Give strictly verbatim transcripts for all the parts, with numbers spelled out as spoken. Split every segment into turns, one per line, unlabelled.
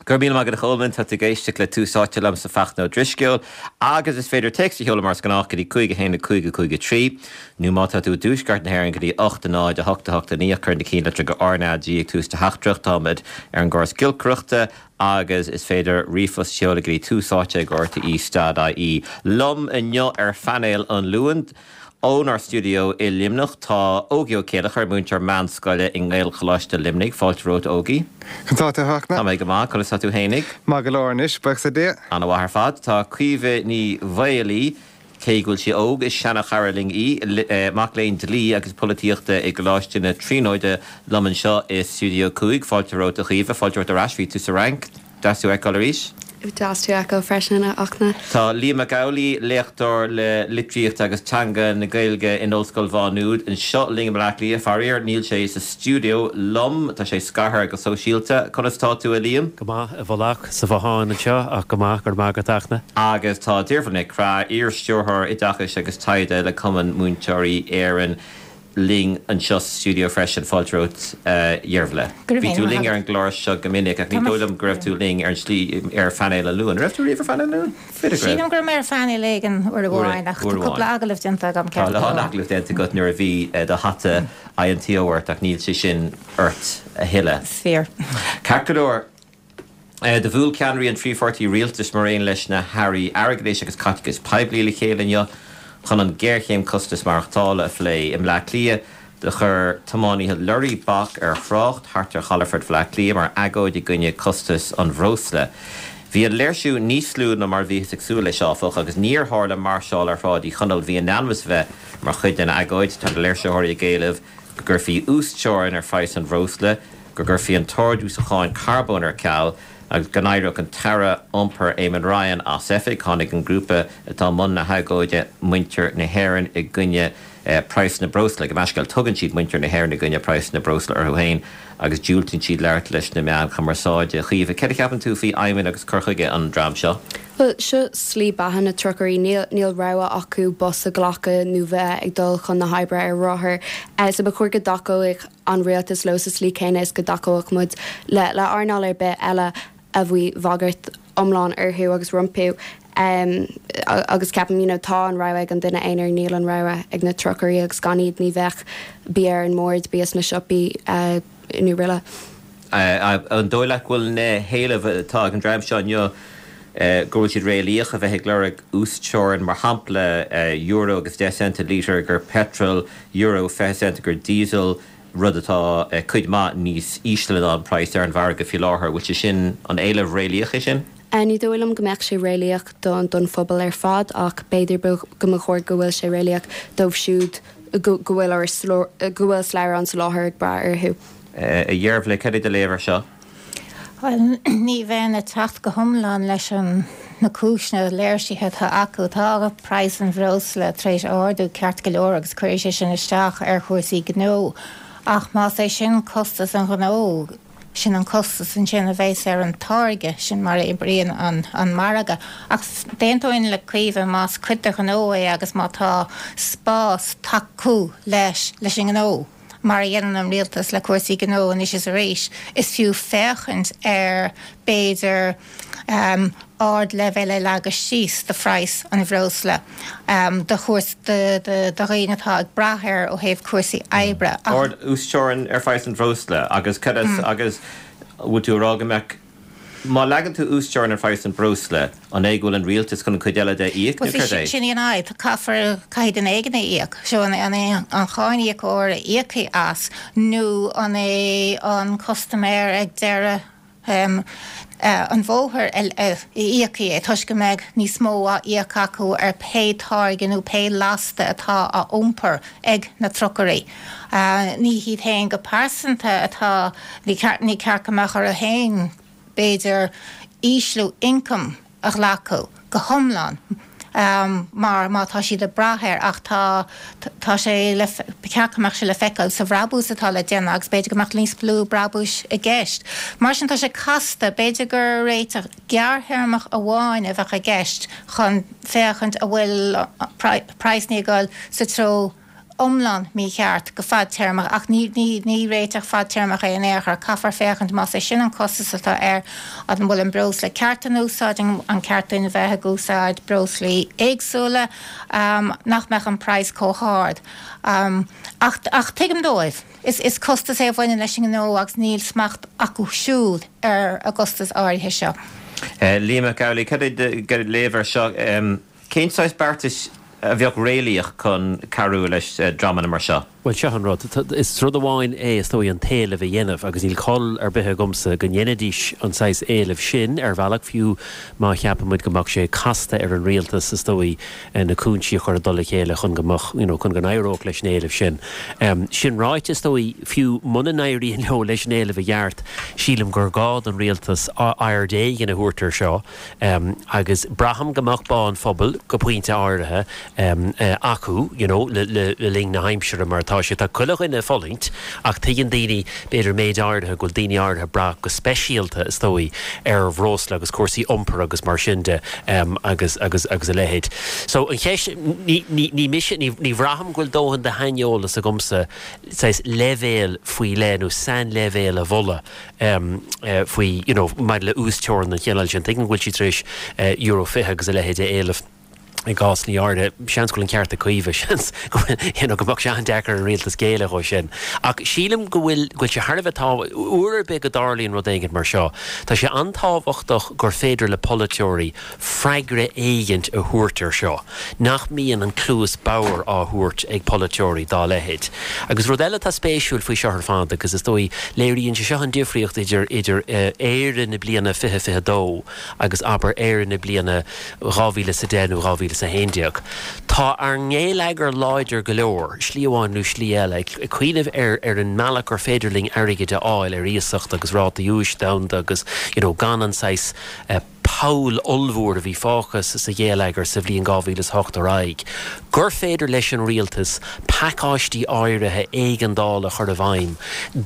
Go raibh míle maith agat a Cholmáin, tá tú ag éisteacht le Tús Áite liomsa Fachtna Ó Drisceoil agus is féidir téacs a sheoladh mar is gnách go dtí cúig a haon a cúig a cúig a trí nó má tá tú i dtuaisceart na hÉireann go dtí ocht a náid a hocht a hocht a naoi cuir na ceannlitreacha R N A G ag tús do theachtaireacht. Táimid ar an gcóras giolcaireachta agus is féidir ríomhphost a sheoladh go dtí tús áite ag R T E dot I E. Liom inniu ar phainéal an Luain ónár stiúideo i Luimneach tá Ógie Ó Céileachair, múinteoir meánscoile i nGaelcholáiste Luimnigh. Fáilte romhat, Ógie.
Tá tú
Tá mé go maith, conas tá tú fhéinig?
Maith go leor anois, buíochas le Dia.
An-mhaith ar fad. Tá Caoimhe Ní Mhaolaí, cé go bhfuil sí óg, is seanchara linn í, mac léinn dlí agus polaitíochta i gColáiste na Tríonóide liom anseo i Stiúideo cúig. Fáilte romhat, a Chaoimhe, fáilte romhat ar ais. Bhí tú sa Fhrainc, deas tú a fheiceáil arís.
Deas tú a fheiceáil freisin, a Fhachtna.
Tá Liam Mac Amhlaigh, léachtóir le litríocht agus teanga na Gaeilge in Ollscoil Mhá Nuad anseo linn i mBleá Cliath. Faraor, níl sé sa stiúideo liom, tá sé scartha go sóisialta. Conas tá tú, a Liam?
Go maith, i bhfolach sa bhothán anseo ach go maith, go raibh maith agat, a Fhachtna.
Agus tá Deirbhile Nic Craith, iar-stiúrthóir oideachais agus taighde le Cumann Múinteoirí Éireann, linn anseo sa stiúideo freisin. Fáilte romhat, a Dheirbhile. Bhí tú linn ar an gclár seo go minic ach ní dóigh liom go raibh tú linn ar an slí ar phainéal an Luain. Raibh tú riamh ar phainéal an Luain?
Sílim go raibh mé ar phainéal éigin uair amháin ach tá cúpla agallamh déanta agam.
Tá lán agallamh déanta agat nuair a bhí do hata I N T O ort ach níl sé sin ort a thuilleadh.
Fíor.
Ceart go leor. Do bhuail ceannairí an trí pháirtí rialtais mar aon leis na hairí airgeadais agus caiteachais poiblí le chéile inniu chun an géarchéim costas maireachtála a phlé. I mBleá Cliath do chuir tiománaithe lorraí bac ar thrácht thart ar chalafort Bhleá Cliath mar agóid i gcoinne costas an bhreosla. Bhí an léirsiú níos lú ná mar bhíothas ag súil leis, áfach, agus níor tharla máirseáil ar Shráid Uí Chonaill a bhí in ainm is bheith mar chuid den agóid. Tá na léirsitheoirí ag éileamh go gcuirfí uasteorainn ar phraghas an bhreosla, go gcuirfí an t-ardú sa cháin carbóin ar ceal agus go n-éireodh an tAire Iompair Eamon Ryan as oifig. Tháinig an grúpa atá i mbun na hagóide, Muintir na hÉireann i gcoinne praghas na breosla, gabh mo leithscéal, tugann siad Muintir na hÉireann i gcoinne praghas na breosla orthu féin agus diúltaíonn siad labhairt leis na meáin chumarsáide. Chaoimhe, céard a cheapann tú faoi aidhmeanna agus cur chuige an dream seo?
Well, seo slí beatha na trucairí. níl níl rogha acu bus a ghlacadh nó bheith ag dul chun na hoibre ar rothar. Uh, so ba chóir go dtacódh an rialtas leo sa slí céanna is go dtacódh muid le le earnáil ar bith eile a bhfuil bagairt iomlán orthu agus rompu. Um, agus ceapaim you know, tá an rogha ag an duine aonair, níl an rogha ag na trucairí agus gan iad ní bheadh bia ar an mbord, bia sna siopaí uh, nó araile.
An dóigh leat go bhfuil na héilimh atá ag an dream seo inniu go bhfuil siad réalaíoch, a bheith ag lorg uasteorainn, mar shampla euro agus deich cent lítear gur petrol, euro fiche cent gur diesel, rud atá cuid maith níos ísle ná an praghas ar an mhargadh faoi láthair? Bhfuil sé sin an éileamh réalaíoch é sin?
Ní dóigh liom go mbeadh sé réalaíoch don don phobal ar fad ach b'fhéidir go mba chóir go bhfuil sé réalaíoch dóibh siúd go bhfuil go bhfuil slabhra an tsoláthair ag brath orthu.
A Dheirbhile, cad é do léamh air seo?
Well, ní bheinn ag teacht go hiomlán leis an na cúiseanna léirsithe atá acu. Tá praghas an bhreosla tar éis ardú ceart go leor agus cuirfidh sé sin isteach ar chúrsaí gnó. Ach más é sin costas an ghnó, sin an costas ansin a bheas ar an táirge, sin mar a oibríonn an, an margadh. Ach d'aontóinn le Caoimhe más cuid de ghnó é agus má tá spás tacú leis leis an ngnó, mar a dhéanann an rialtas le cúrsaí gnó anois is arís, is fiú féachaint ar b'fhéidir um, ardleibhéal a leagadh síos do phraghas an bhreosla um, do chúrs do dhaoine atá ag brath air ó thaobh cúrsaí oibre.
Ard uasteorainn ar phraghas an bhreosla agus cad mm. agus bhfuil tú ag rá go mbeadh, má leagann tú uasteorainn ar phraghas an bhreosla, an é go bhfuil an rialtas chun an cuid eile de a íoc nó cad é?
Sin í an fhadhb, caithfear caithfidh duine éigin a íoc, seo an an an cáiníocóir a íocfaidh as nó an é an custaiméir ag deireadh um, uh, an bhóthair a íocfaidh é toisc go mbeidh níos mó á íoc acu ar pé táirge nó pé lasta atá á iompar ag na trucairí. Uh, ní hiad féin go pearsanta atá ní ceart go mbeadh orthu féin b'fhéidir ísliú ioncaim a ghlacadh go hiomlán. Um, mar má tá siad ag brath air ach tá tá sé le ceart go mbeadh sé le feiceáil sa bhrabús atá le déanamh agus b'fhéidir go mbeadh níos lú brabúis i gceist. Mar sin tá sé casta, b'fhéidir gur réiteach gearrthéarmach amháin a bheadh i gceist chun féachaint a bhfuil praghas ag dul sa treo iomlán mícheart go fadtéarmach ach ní ní ní réiteach fadtéarmach é in aon chor caithfear féachaint más é sin an costas atá air an bhfuil an breosla ceart in úsáid an ceart duine bheith ag úsáid breoslaí éagsúla um, nach mbeadh an praghas chomh hard. Um, ach, ach tuigim dóibh. Is, is costas é a bhaineann leis an ngnó agus níl smacht acu siúd ar an gcostas áirithe seo.
Uh, Liam Mac Amhlaigh, cad é léamh air seo um, cén saghas beartais a bheadh réalaíoch chun cabhrú leis uh, dreamanna mar seo.
Well seo an rud is rud amháin é is dóigh an t-éileamh a dhéanamh agus níl col ar bith agamsa go ndéanfaidís an saghas éileamh sin ar bhealach fiú má cheapaimid go mbeadh sé casta ar an rialtas is dóigh eh, na cúinsí a chur i dtoll a chéile chun go mbeadh you know, chun go n-éireodh leis an éileamh sin. Um, sin ráite is dóigh fiú muna n-éiríonn leo leis an éileamh a dhéanamh sílim gur gá don rialtas aird éigin a thabhairt air seo um, agus braithim go mbeadh bá an phobail go pointe áirithe um, uh, acu you know, le, le, le linn na haimsire mar tá sé tá chuile dhuine ag fulaingt ach tuigeann daoine b'fhéidir méid áirithe go bhfuil daoine áirithe ag brath go speisialta is dóigh ar bhreosla agus cúrsaí iompair agus mar sin de um, agus agus agus a leithéid. So an cheist ní, ní, ní mise ní, ní bhraithim go bhfuil dóthain de shaineolas agamsa saghas leibhéal faoi leith nó sainleibhéal a mholadh um, uh, faoi you know, maidir le uasteorainn den chineál sin tuigim go bhfuil siad tar éis uh, euro fiche agus a leithéid a éileamh. i gcás ní áirithe seans go bhfuil an ceart ag Caoimhe seans go mbeadh sé an-deacair an rialtas géilleadh dó sin. Ach sílim go bhfuil go bhfuil sé thar a bheith tá uair ar bith go dtarlaíonn rud éigin mar seo. Tá sé an-tábhachtach gur féidir le polaiteoirí freagra éigin a thabhairt air seo. Nach mbíonn an cluas bhodhar á thabhairt ag polaiteoirí dá leithéid. Agus rud eile tá spéisiúil faoi seo ar fad agus is dóigh léiríonn sé seo an difríocht idir idir eh, Éire na bliana fiche fiche dó agus abair Éire na bliana dhá mhíle sa deich nó dhá mhíle sa haon déag. Tá ár ngeilleagar láidir go leor, slí amháin nó slí eile, ag cuimhneamh ar ar an mbealach gur féidir linn airgead a fháil ar iasacht agus rátaí úis domhanda agus you know, gan an saghas uh, poll ollmhór a bhí fágtha sa gheilleagar sa bhliain dhá mhíle is hocht ar aghaidh. Gur féidir leis an rialtas pacáistí áirithe éigeandála a chur i bhfeidhm,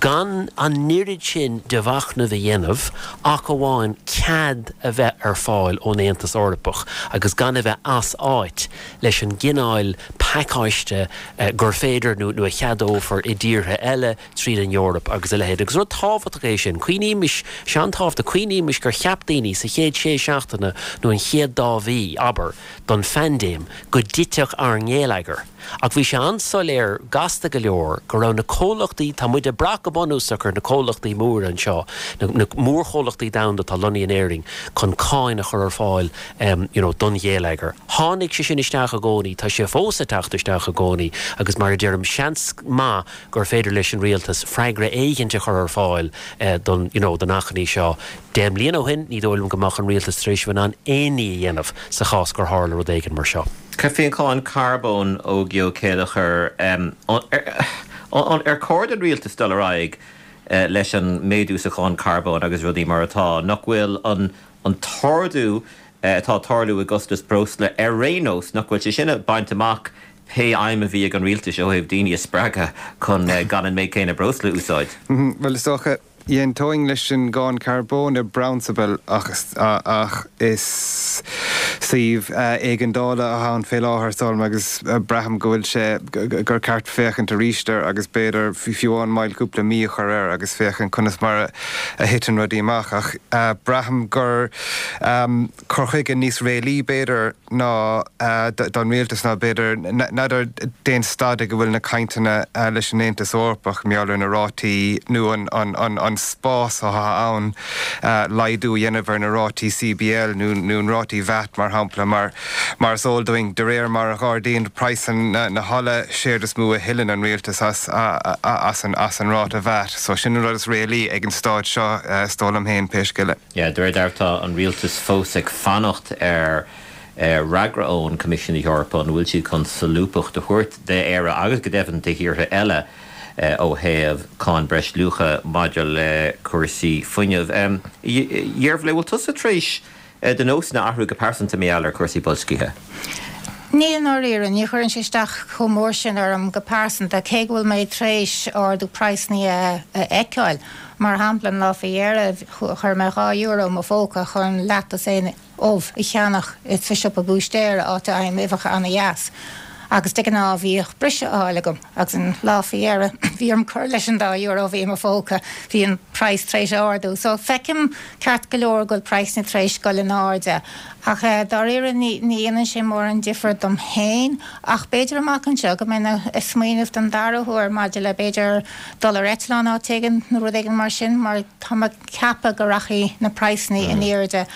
gan an oiread sin de mhachnamh a dhéanamh ach amháin cead a bheith ar fáil ón Aontas Eorpach agus gan a bheith as áit leis an gcineál pacáiste uh, gur féidir nó nó a cheadófar i dtíortha eile tríd an Eoraip agus a leithéid. Agus rud tábhachtach é sin, cuimhnímis sé an-tábhachtach cuimhnímis gur cheap daoine sa chéad sé seachtaine nó an chéad dá mhí abair don phaindéim go dtitfeadh ár ngeilleagar. Ach bhí sé an-soiléir gasta go leor go raibh na comhlachtaí tá muid ag brath go bunúsach ar na comhlachtaí móra anseo, na, na mórchomhlachtaí domhanda atá lonnaithe in Éirinn chun cáin a chur ar fáil um, you know, don gheilleagar. Tháinig sé sin isteach i gcónaí, tá sé fós ag teacht isteach i gcónaí agus mar a deirim seans maith gur féidir leis an rialtas freagra éigin a chur ar fáil uh, don you know, don achainí seo. Deich mbliana ó shin ní dóigh liom go mbeadh an rialtas tar éis bheith in ann aon ní a dhéanamh sa chás gur tharla rud éigin mar seo.
Cad faoin cháin carbóin Ógie Ó Céilleachair ar chóir don rialtas dul ar aghaidh eh, leis an méadú sa cháin carbóin agus rudaí mar atá, nach bhfuil an an t-ardú eh, atá ag tarlú i gcostas breosla ar aon nós nach bhfuil sé sin ag baint amach pé aidhm a bhí ag an rialtas ó thaobh daoine a spreagadh chun eh, gan an méid céanna breosla a úsáid.
Mhm, well is dócha D'aontóinn leis an gcáin carbóin i bprionsabal ach, ach is suíomh éigeandála atá ann fé láthair sol agus braithim go bhfuil sé gur ceart féachaint arís air agus b'fhéidir fiú amháin moill cúpla mí a chur air agus féachaint conas mar a thiteann rudaí amach ach braithim gur um, cur chuige níos réalaí b'fhéidir ná don rialtas ná b'fhéidir n'fheadar cén staid go bhfuil na cainteanna leis an Aontas Eorpach maidir leis na rátaí nó an, an, an, an spás atá ann laghdú a dhéanamh ar na rátaí CBL nó nó an rátaí VAT mar shampla mar mar is eol dúinn de réir mar a ardaíonn praghas na, na hola séard is mó a thuilleann an rialtas as, as, an, as an ráta VAT. So sin an rud is réalaí ag an staid seo is dóigh liom féin pé scéal é.
Ja, de réir tá an rialtas fós ag fanacht ar fhreagra ón Coimisiún Eorpach an bhfuil siad chun solúbthacht a thabhairt d'Éire agus go deimhin do thíortha eile ó thaobh cáin breisluacha maidir le cúrsaí fuinnimh. Deirbhile bhfuil tusa tar éis do nósanna a athrú go pearsanta mar gheall ar cúrsaí boilscithe.
Ní i ndáiríre ní chuireann sé isteach chomh mór sin orm go pearsanta cé go bhfuil mé tar éis ardú praghsanna a fheiceáil. Mar shampla an lá faoi dheireadh chuir mé dhá euro i mo phóca chun leathdosaen ubh a cheannach sa siopa búistéara áit a bhfaighim uibheacha an-deas. Agus de ghnáth bhíodh briseadh á fháil agam agus an lá faoi dheireadh bhí orm cur leis an dá euro a bhí i mo phóca, bhí an praghas tar éis ardú. So feicim ceart go leor go bhfuil praghsanna tar éis dul in airde ach dáiríre ní dhéanann sé mórán difear dom féin ach b'fhéidir amach anseo go mbeinn ag smaoineamh don dara huair maidir le b'fhéidir dul ar eitleán áit éigin nó rud éigin mar sin mar tá mé ag ceapadh go rachaidh na praghsanna in airde.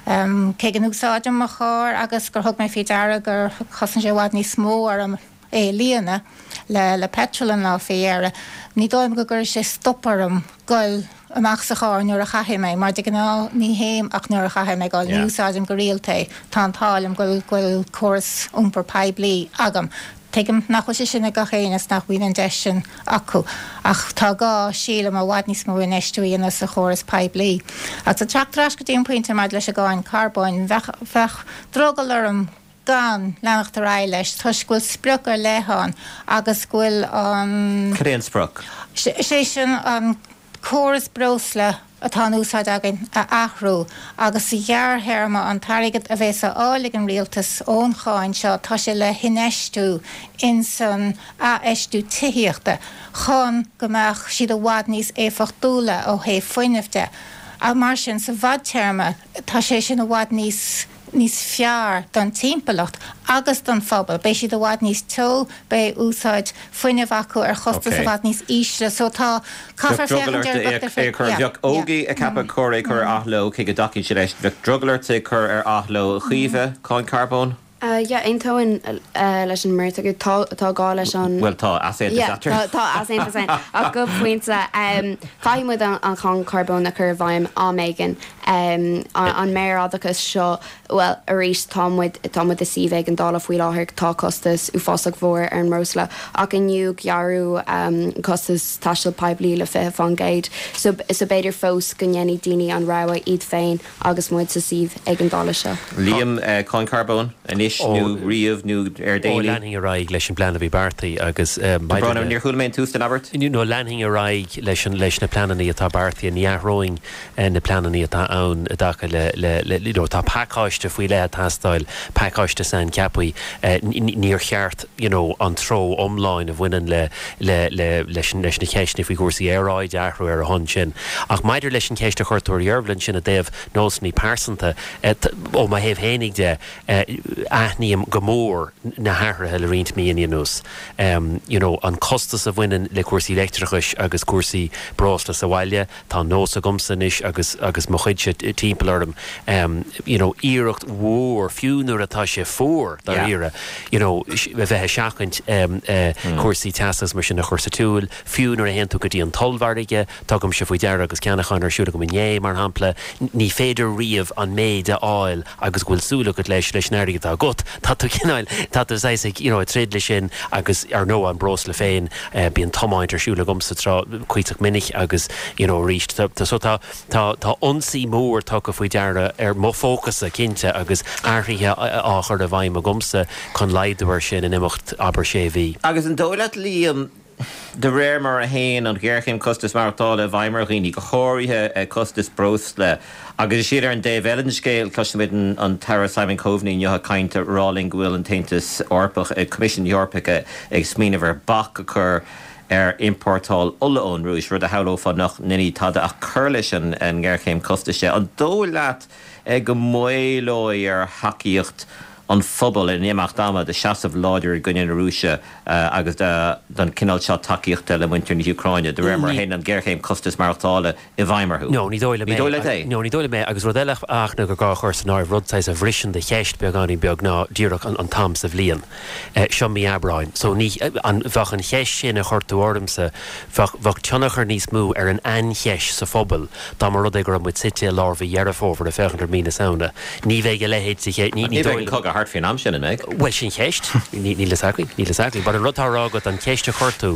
Cé go n-úsáidim mo charr agus gur thug mé faoi deara gur chosain sé i bhfad níos mó orm é a líonadh le le petrol an lá faoi dheireadh, ní dóigh liom go gcuirfidh sé stop orm goil amach sa charr nuair a chaithfidh mé, mar de ghnáth ní théim ach nuair a chaithfidh mé goil, ní úsáidim go rialta é, tá an t-ádh liom go bhfuil córas iompair poiblí agam. Tuigim nach bhfuil sé sin ag gach éinne is nach mbíonn an deis sin acu, ach tá gá, sílim, i bhfad níos mó infheistiú a dhéanamh sa chóras poiblí. Agus ag teacht ar ais go dtí an pointe maidir leis an gcáin carbóin, bheadh, bheadh drogall orm gan leanacht ar aghaidh leis toisc go bhfuil sprioc ar leith ann agus go bhfuil an.
Cad é an sprioc?
Is é sin an córas breosla atá in úsáid againn a athrú agus sa ghearrthéarma an t-airgead a bheas á fháil ag an rialtas ón cháin seo tá sé le hinfheistiú insan athfheistiú tithíochta chun go mbeadh siad i bhfad níos éifeachtúla ó thaobh fuinnimh de. Mar sin sa bhfadtéarma tá sé sin i bhfad níos níos fearr don timpeallacht agus don phobal. Beidh siad i bhfad níos teo, beidh úsáid fuinnimh acu ar chostas i bhfad níos ísle. So tá,
caithfear féachaint ar gach duine. Bheadh Ógie ag ceapadh gur chóir é cur ar athló, cé go dtacaíonn sé leis. Bheadh drogall ort é cur ar athló, a Chaoimhe, cáin carbóin?
Yeah, aontóinn leis an mbeirt acu. Tá, tá gá leis an.
Bhuel, tá easaontas
Yeah,
eatarthu.
tá, tá easaontas ann. Ach go pointe, caithfidh muid an cháin carbóin a chur i bhfeidhm am éigin. An méarfhadachas seo, bhuel, arís, tá muid, tá muid i suíomh éigeandála faoi láthair, tá costas uafásach mhór ar an mbreosla, ach inniu gearradh costas taisteal poiblí le fiche faoin gcéad. So, so b'fhéidir fós go ndéanfaidh daoine an rogha iad féin agus muid sa suíomh éigeandála seo.
Liam, cáin carbóin, anois nó riamh nó ar
Ó,
déanaí?
leanfainn ar aghaidh leis an bplean a bhí beartaithe agus maidir le.
Níor chuala mé an tús den abairt.
No, leanfainn ar aghaidh leis an, leis na pleananna atá beartaithe, ní athróinn na pleananna atá ann i dtaca le, le, le, you know, tá pacáiste faoi leith ag teastáil, pacáiste saincheaptha, níor cheart, you know, an treo iomlán a bhaineann le, le, le, leis an, leis na ceisteanna faoi chúrsaí aeráide a athrú ar a shon sin. Ach maidir leis an cheist a chuir tú ar Dhearbhla ansin i dtaobh nósanna pearsanta, ó mo thaobh fhéinig de, aithním go mór na hathruithe le roinnt míonna anuas. You know, an costas a bhaineann le cúrsaí leictreachais agus cúrsaí breosla sa bhaile, tá nós agamsa anois agus agus mo chuidse timpeall orm, you know, iarracht mhór, fiú nuair atá sé fuar, dáiríre, you know, a bheith ag seachaint cúrsaí teasa agus mar sin a chur sa tsiúl, fiú nuair a théann tú go dtí an t-ollmhargadh, tugaimse faoi deara agus ceannachán ar siúl agam inné, mar shampla, ní féidir riamh an méid a fháil agus go bhfuil súil agat leis, leis an airgead atá agat. Tá tú cineál, tá tú saghas ag, you know, ag troid leis sin agus ar ndóigh an breosla féin, bíonn tiomáint ar siúl agamsa tráth, cuíosach minic agus, you know, arís, tá, so tá, tá, tá ionsaí mór tugtha faoi deara ar mo phócasa, cinnte, agus athruithe á chur i bhfeidhm agamsa chun laghdú air sin in imeacht, abair, sé mhí.
Agus an dóigh leat, Liam, de réir mar a théann an ghéarchéim costas maireachtála i bhfeidhm ar dhaoine, go háirithe costas breosla, agus is iad ar an dtaobh eile den scéal, cloisimid an tAire Simon Coveney inniu ag caint ag rá linn go bhfuil an tAontas Eorpach, Coimisiún na hEorpa ag smaoineamh ar bac a chur ar iompórtáil ola ón Rúis, rud a shamhlófá nach ndéanfaidh tada ach cur leis an ngéarchéim costais de. An dóigh leat go maolóidh ar thacaíocht an phobail in imeacht ama do sheasamh láidir i gcoinne na Rúise agus don chineál seo tacaíochta le muintir na hÚcráine, de réir mar a théann an ghéarchéim costas maireachtála i bhfeidhm orthu?
No, ní dóigh liom é.
Ní dóigh leat é?
No, ní dóigh liom é. Agus rud eile ach ná gur gá a chur san áireamh, rud saghas a bhriseann do cheist beagáinín beag ná díreach an t-am sa bhliain. Seo mí Aibreáin. So ní, an, bheadh an cheist sin a chuir tú ormsa, bheadh, bheadh tionchar níos mó ar an aincheist sa phobal dá mba rud é go raibh muid suite i lár mhí Dheireadh Fómhair ag féachaint ar mhí na Samhna. Ní bheidh a leithéid de cheist, ní, ní
Ní
dóigh
bheidh an
liom.
cogadh thart faoin am sin, an mbeidh?
Bhuel, sin ceist. Níl a fhios againn. Níl a fhios againn. But an rud atá á rá agat, an cheist a chuir tú,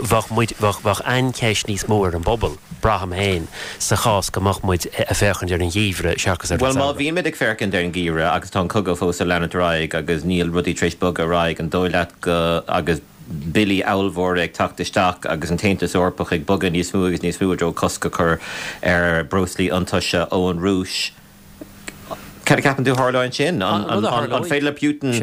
bheadh muid, bheadh, bheadh aincheist níos mó ar an bpobal, braithim féin, sa chás go mbeadh muid ag féachaint ar an gheimhreadh seachas ar an
Bhuel, má
samhradh.
bhímid ag féachaint ar an gheimhreadh agus tá an cogadh fós ag leanúint ar aghaidh agus níl rudaí tar éis bogadh ar aghaidh, an dóigh leat go, agus billí ollmhóra ag teacht isteach agus an tAontas Eorpach ag bogadh níos mó agus níos mó i dtreo cosc a chur ar breoslaí iontaise ón Rúis, Cad a cheapann tú a tharlóidh ansin? An féidir le Putin,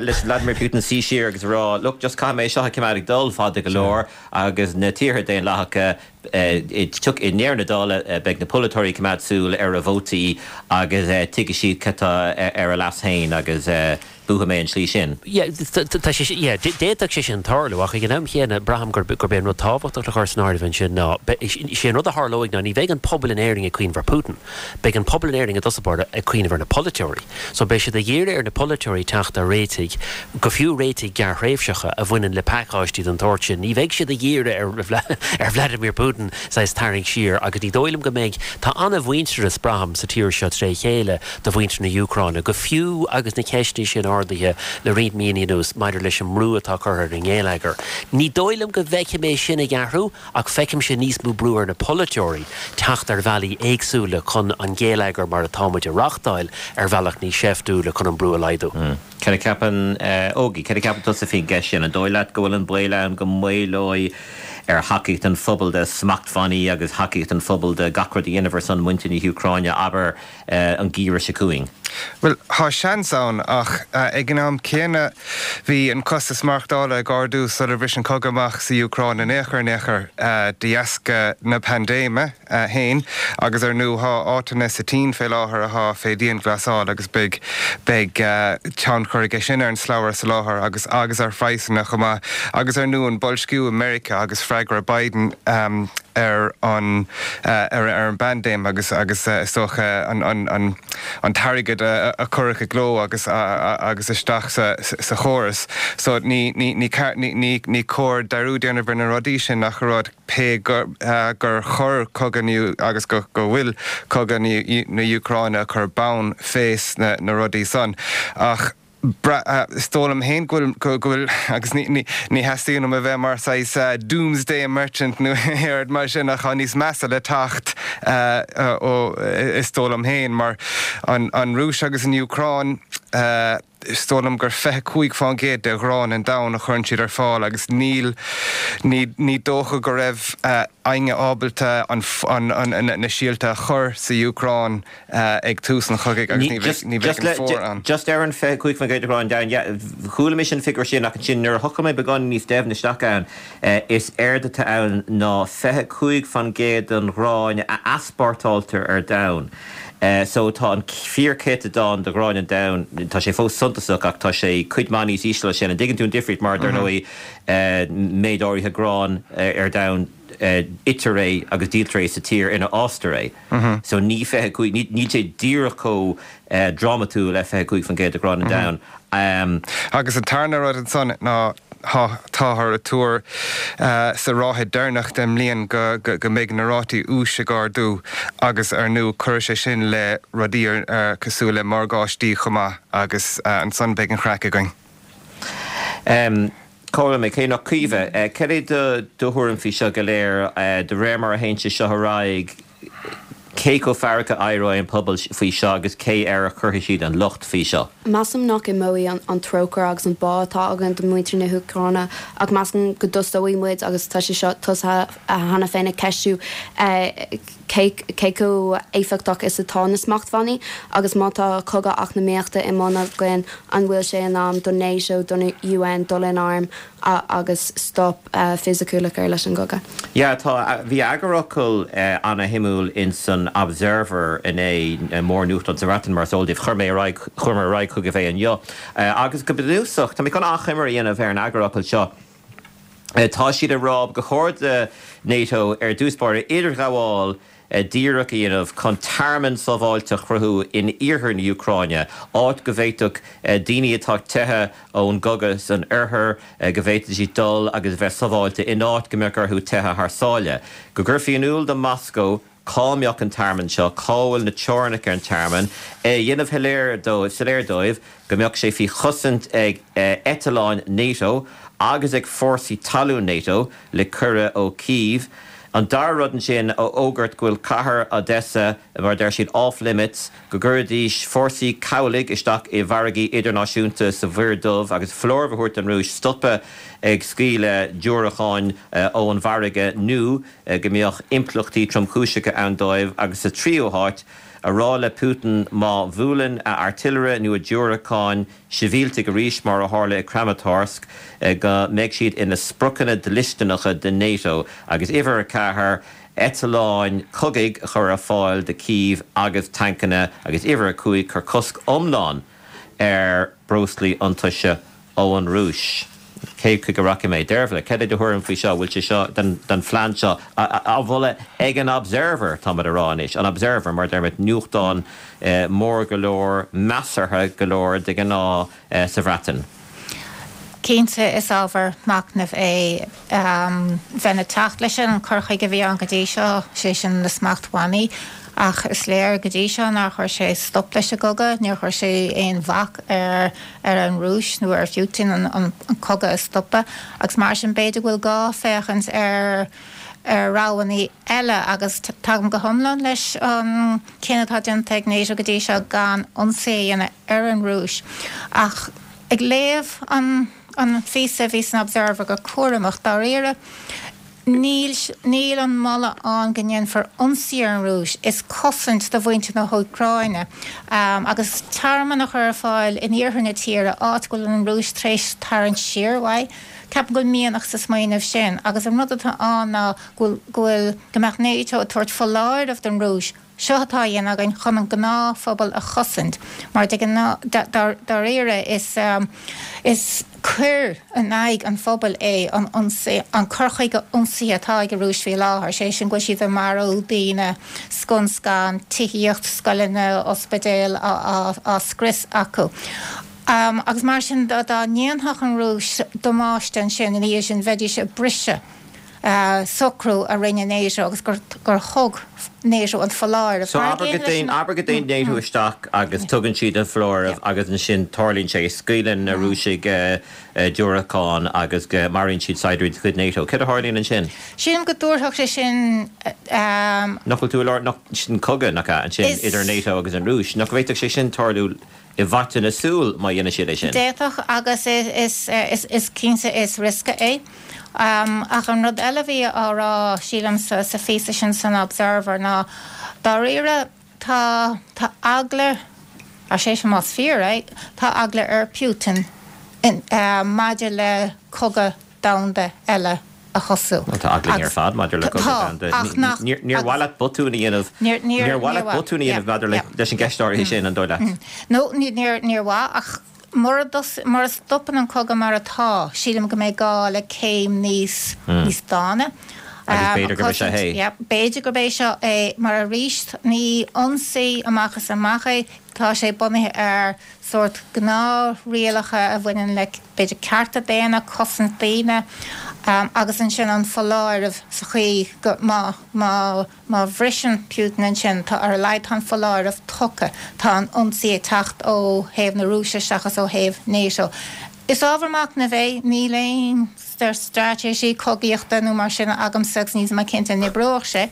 leis Vladimir Putin suí siar agus a rá, look, just caithfidh mé seo a choimeád ag dul fada go leor agus na tíortha daonlathacha i ndeireadh na dála beidh na polaiteoirí ag coimeád súil ar a vótaí agus tuigfidh siad cad atá ar a leas féin agus buafaidh mé an tslí sin.
Yeah, tá sé, yeah, d'fhéadfadh sé sin tarlú ach ag an am chéanna braithim gurb é an rud tábhachtach le cur san áireamh ansin ná sé an rud a tharlóidh ná ní bheidh an pobal in Éirinn ag cuimhneamh ar Putin, beidh an pobal in Éirinn i dtosach báire ag cuimhneamh ar na polaiteoirí. So beidh siad ag iarraidh ar na polaiteoirí teacht ar réitigh, go fiú réitigh gearrthréimhseacha a bhaineann le pacáistí den tsórt sin. Ní bheidh siad ag iarraidh ar ar Vladimir Putin saghas tarraingt siar agus ní dóigh liom go mbeidh, tá an-mhuintearas braithim sa tír seo tré chéile do mhuintir na hÚcráine, go fiú agus na ceisteanna sin ardaithe le roinnt míonna anuas maidir leis an mbrú atá curtha ar an ngeilleagar. Ní dóigh liom go bhfeicfidh mé sin ag athrú ach feicimse níos mó brú ar na polaiteoirí teacht ar bhealaí éagsúla chun an geilleagar mar atá muid a reáchtáil ar bhealach níos seiftiúla chun an brú a laghdú.
Cad a cheapann Ógie, cad a cheapann tusa faoin gceist sin? An dóigh leat go bhfuil an baol ann go maolóidh ar thacaíocht an phobail de smachtbhannaí agus thacaíocht an phobail de gach rud a dhéanamh ar son muintir na hÚcráine, abair, an geimhreadh seo chugainn?
Bhuel, tá seans ann, ach ag an am céanna bhí an costas maireachtála ag ardú sular bhris an cogadh amach sa Úcráin in aon chor in aon chor de dheasca na paindéime féin agus ar ndú tá áiteanna sa tSín fé láthair atá fé dianghlasáil agus beidh beidh tionchar aige sin ar an slabhra soláthair agus agus ar phraghsanna chomh maith agus ar ndú an boilsciú i Meiriceá agus freagra Biden ar an ar an bpaindéim agus agus is dócha an an an an t-airgead a a cuireadh i gcló agus agus isteach sa sa chóras. So ní ní ní ní ní cóir dearúd a dhéanamh ar na rudaí sin ach rud pé gur gur chuir cogadh na agus go go bhfuil cogadh na Úcráine ag cur bonn fés na na rudaí san. Ach is dóigh liom féin go bhfuil, go bhfuil, agus ní, ní, ní theastaíonn uaim a bheith mar saghas doomsday merchant nó aon rud mar sin ach tá níos measa le teacht ó, is dóigh liom féin, mar an, an Rúis agus an Úcráin, is dóigh liom gur fiche cúig fán gcéad de ghrán an domhain a chuireann siad ar fáil agus níl, ní, ní dócha go raibh éinne ábalta an, an, an, na síolta a chur sa Úcráin. ag tús an chogaidh agus ní bheidh ní bheidh an fómhar ann.
Just ar an fiche cúig faoin gcéad de ghrán an domhain, yeah, chuala mise an figiúr sin ach ansin nuair a thochail mé beagán níos doimhne isteach ann, is éard atá ann ná fiche cúig faoin gcéad den ghrán a easpórtáiltear ar domhan. So tá an fíorchéatadán de ghrán an domhain, tá sé fós suntasach ach tá sé cuid mhaith níos ísle sin. An dtuigeann tú an difríocht mar, dar ndóigh, méid áirithe gráin ar domhan, itear é agus díoltar é sa tír ina fhástar é. So ní fiche cúig, níl sé díreach chomh drámatúil le fiche cúig faoin gcéad de ghrán an domhain.
Agus an tarna rud ansan ná táthar ag tuar sa ráithe deireanach den mbliain go go mbeidh na rátaí úis ag ardú agus ar ndú cuirfidh sé sin le rudaí cosúil le morgáistí chomh maith agus ansan beidh an chraic againn.
Cá bhfuil mé? Cé nach Caoimhe, cad é do thuairim faoi seo go léir? De réir mar a théann sé seo ar aghaidh, cé chomh feargach a éireoidh an pobal faoi seo agus cé air a chuirfidh siad an locht faoi seo?
Measaim nach imeoidh an trócaire agus an bá atá againn do mhuintir na hÚcráine ach measaim go dtosóidh muid, agus tá sé seo tosaithe cheana féin, ag ceistiú cé chomh éifeachtach is atá na smachtbhannaí agus má tá cogadh eacnamaíochta i mbun againn, an bhfuil sé in am don NATO, don U N dul in arm agus stop fisiciúil a chur leis an gcogadh?
Yeah, tá, bhí eagarfhocal ana-shuimiúil ins an Observer inné, mórnuachtán sa Bhreatain mar is eol daoibh, chuir mé ar aghaidh, chuir mé ar aghaidh chugaibh é inniu. Agus go bunúsach, tá mé chun achoimre a dhéanamh ar an eagarfhocal seo. Tá siad ag rá gur chóir do NATO ar dtús báire idirghabháil díreach a dhéanamh chun tearmann sábháilte a chruthú in iarthar na hÚcráine, áit go bhféadfadh daoine atá ag teitheadh ón gcogadh san oirthear, go bhféadfadh siad dul agus a bheith sábháilte in áit go mbeadh orthu teitheadh thar sáile. Go gcuirfí in iúl do Moscó cá mbeadh an tearmann seo, cá bhfuil na teorainneacha ar an tearmann, é a dhéanamh soiléir dóibh go mbeadh sé faoi chosaint ag eitleáin NATO agus ag fórsaí talún NATO le cuireadh ó Kyiv. An dara rud ansin, a fhógairt go bhfuil cathair Odessa, mar a deir siad, off limits, go gcuirfidís fórsaí cabhlaigh isteach i bhfarraigí idirnáisiúnta sa Mhuir Dhubh agus foláireamh a thabhairt don Rúis stopadh ag scaoileadh diúracáin ón bhfarraige nó go mbeadh impleachtaí tromchúiseacha ann dóibh agus sa tríú háit, a rá le Putin má bhuaileann a artillery nó a diúracáin sibhialtaigh arís mar a tharla i Kramatorsk go mbeidh siad ina spriocanna dlisteanacha do NATO agus uimhir a ceathair eitleáin cogaidh a chur ar fáil do Kyiv agus tancanna agus uimhir a cúig cur cosc iomlán ar breoslaí iontaise ó an Rúis. Cé chuige a rachaidh mé? Deirbhile, cad é do thuairim faoi seo? Bhfuil sé seo den den phlean seo á mholadh ag an Observer, táimid a rá anois, an Observer, mar deirmid, nuachtán mór go leor, measartha go leor de ghnáth sa Bhreatain.
Cinnte is ábhar machnaimh é bheinn ag teacht leis an cur chuige a bhí ann go dtí seo, sé sin na smachtbhannaí, ach is léir go dtí seo nár chuir sé stop leis an gcogadh, níor chuir sé aon bhac ar ar an Rúis nó ar Putin an an cogadh a stopadh agus mar sin b'fhéidir go bhfuil gá féachaint ar ar roghanna eile agus tagaim go hiomlán leis an cinneadh atá déanta ag NATO go dtí seo gan ionsaí a dhéanamh ar an Rúis ach ag léamh an an phíosa a bhí san Observer go cúramach dáiríre. Níl, níl an moladh ann go ndéanfar ionsaí ar an Rúis, is cosaint do mhuintir na hÚcráine agus tearmann a chur ar fáil in iarthar na tíre, áit go bhfuil an Rúis tar éis tarraingt siar uaidh. Ceapaim go bhfuil mianach sa smaoineamh sin agus an rud atá ann ná go bhfuil, go bhfuil, go mbeadh NATO ag tabhairt foláireamh don Rúis, Seo atá á dhéanamh againn chun an gnáthphobal a chosaint, mar de ghnáth, dáiríre, is is coir in aghaidh an phobail é an ionsaí, an cur chuige ionsaithe atá ag an Rúis faoi láthair, sé sin go bhfuil siad ag marú daoine scun scan, tithíocht, scoileanna, ospidéil á scrios acu. Agus mar sin dá ndéanfadh an Rúis damáiste ansin ina dhiaidh sin bheidís ag briseadh socrú a rinne NATO agus gur thug NATO an foláireamh.
So abair go dtéann, abair go dtéann NATO isteach agus tugann siad an foláireamh agus ansin tarlaíonn sé, scaoileann na Rúisigh diúracáin agus go maraíonn siad saighdiúirí de chuid NATO. Céard a tharlaíonn ansin?
Sílim go dtabharfadh sé sin.
Nach bhfuil tú i lár, nach, sin cogadh, nach ea, ansin idir NATO agus an Rúis. Nach bhféadfadh sé sin tarlú i bhfaiteadh na súl má dhéanann siad é sin.
D'fhéadfadh agus is cinnte is riosca é. Ach an rud eile a bhí á rá, sílim, sa phíosa sin san Observer ná dáiríre tá tá eagla, sé sin más fíor é, tá eagla ar Putin maidir le cogadh domhanda eile a thosú.
Bhuel, tá eagla ar fad maidir le cogadh domhanda. Níor mhaith leat botún a dhéanamh, níor mhaith leat botún a dhéanamh maidir leis an gceist áirithe sin, an dóigh leat?
No, níor mhaith, ach mura stopann an cogadh mar atá, sílim go mbeidh gá le céim níos níos dána.
Agus b'fhéidir gurb é seo é.
B'fhéidir gurb é seo é, mar arís, ní ionsaí amach is amach é, tá sé bunaithe ar sórt gnáthrialacha a bhaineann le, b'fhéidir, cearta daonna, cosaint daoine, agus ansin an foláireamh sa chaoi go, má, má, má bhriseann Putin ansin, tá, ar a laghad tá an foláireamh tugtha, tá an ionsaí ag teacht ó thaobh na Rúise seachas ó thaobh NATO. Is ábhar machnaimh é, níl aon straitéisí cogaíochta nó mar sin agamsa agus níl mé cinnte an oibreoidh sé,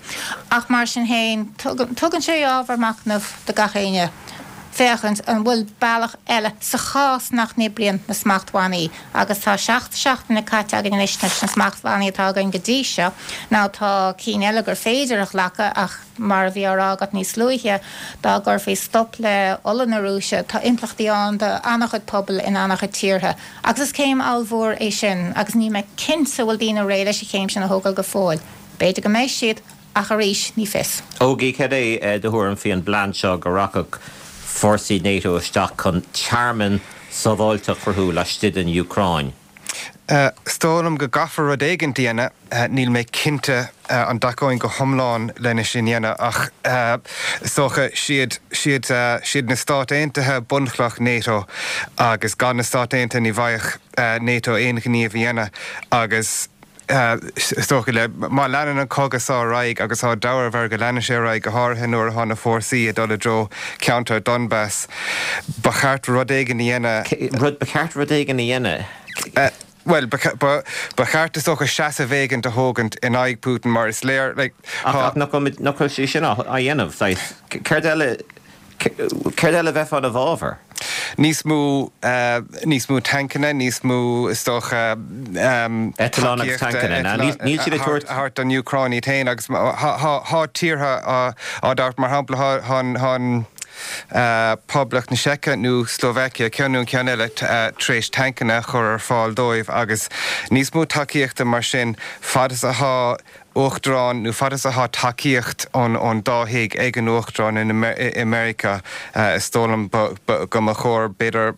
ach mar sin féin, tugann sé ábhar machnaimh do gach éinne féachaint an bhfuil bealach eile sa chás nach n-oibríonn na smachtbhannaí agus tá seacht seachtaine caite againn anois leis na smachtbhannaí atá againn go dtí seo. Now tá cinn eile gur féidir a ghlacadh ach mar a bhí á rá agat níos luaithe, dá gcuirfí stop le ola na Rúise, tá impleachtaí ann do an-chuid pobal in an-chuid tíortha. Agus is céim ollmhór é sin agus níl mé cinnte an bhfuil daoine réidh leis an chéim sin a thógáil go fóill. B'fhéidir go mbeidh siad, ach arís, ní fios.
Ógie, cad é do thuairim faoi an bplean seo go rachadh fórsaí NATO isteach chun tearmann sábháilte a chruthú laistigh den Úcráin?
Is dóigh liom go gcaithfear rud éigin a dhéanamh. Níl mé cinnte an dtacóinn go hiomlán lena sin dhéanamh ach is dócha siad siad siad na Stáit Aontaithe bunchloch NATO agus gan na Stáit Aontaithe ní bhféadfadh NATO aon ghníomh a dhéanamh agus is dócha le má leanann an cogadh seo ar aghaidh agus tá dealramh air go leanfaidh sé ar aghaidh go háirithe nuair atá na fórsaí ag dul i dtreo ceantar Donbas ba cheart rud éigin a dhéanamh.
Rud ba cheart rud éigin a dhéanamh.
Bhuel, ba cheart is dócha seasamh éigin a thógaint in aghaidh Putin mar is léir, like,
tá. Ach nach bhfuil sé sin á dhéanamh? Saghas, céard eile, céard eile a bheifeá ina bhfabhar?
Níos mó níos mó tancanna, níos mó is dócha
Eitleán agus tancanna, níl siad ag tabhairt.
Thart don Úcráin iad féin agus thá tíortha á dtabhairt mar shampla thá an Poblacht na Seice nó Slovakia, ceann nó an ceann eile, tar éis tancanna a chur ar fáil dóibh agus níos mó tacaíochta mar sin fad is athá Uachtarán nó fad is athá tacaíocht ón dá thigh ag an Uachtarán i Meiriceá is dóigh liom go mba chóir b'fhéidir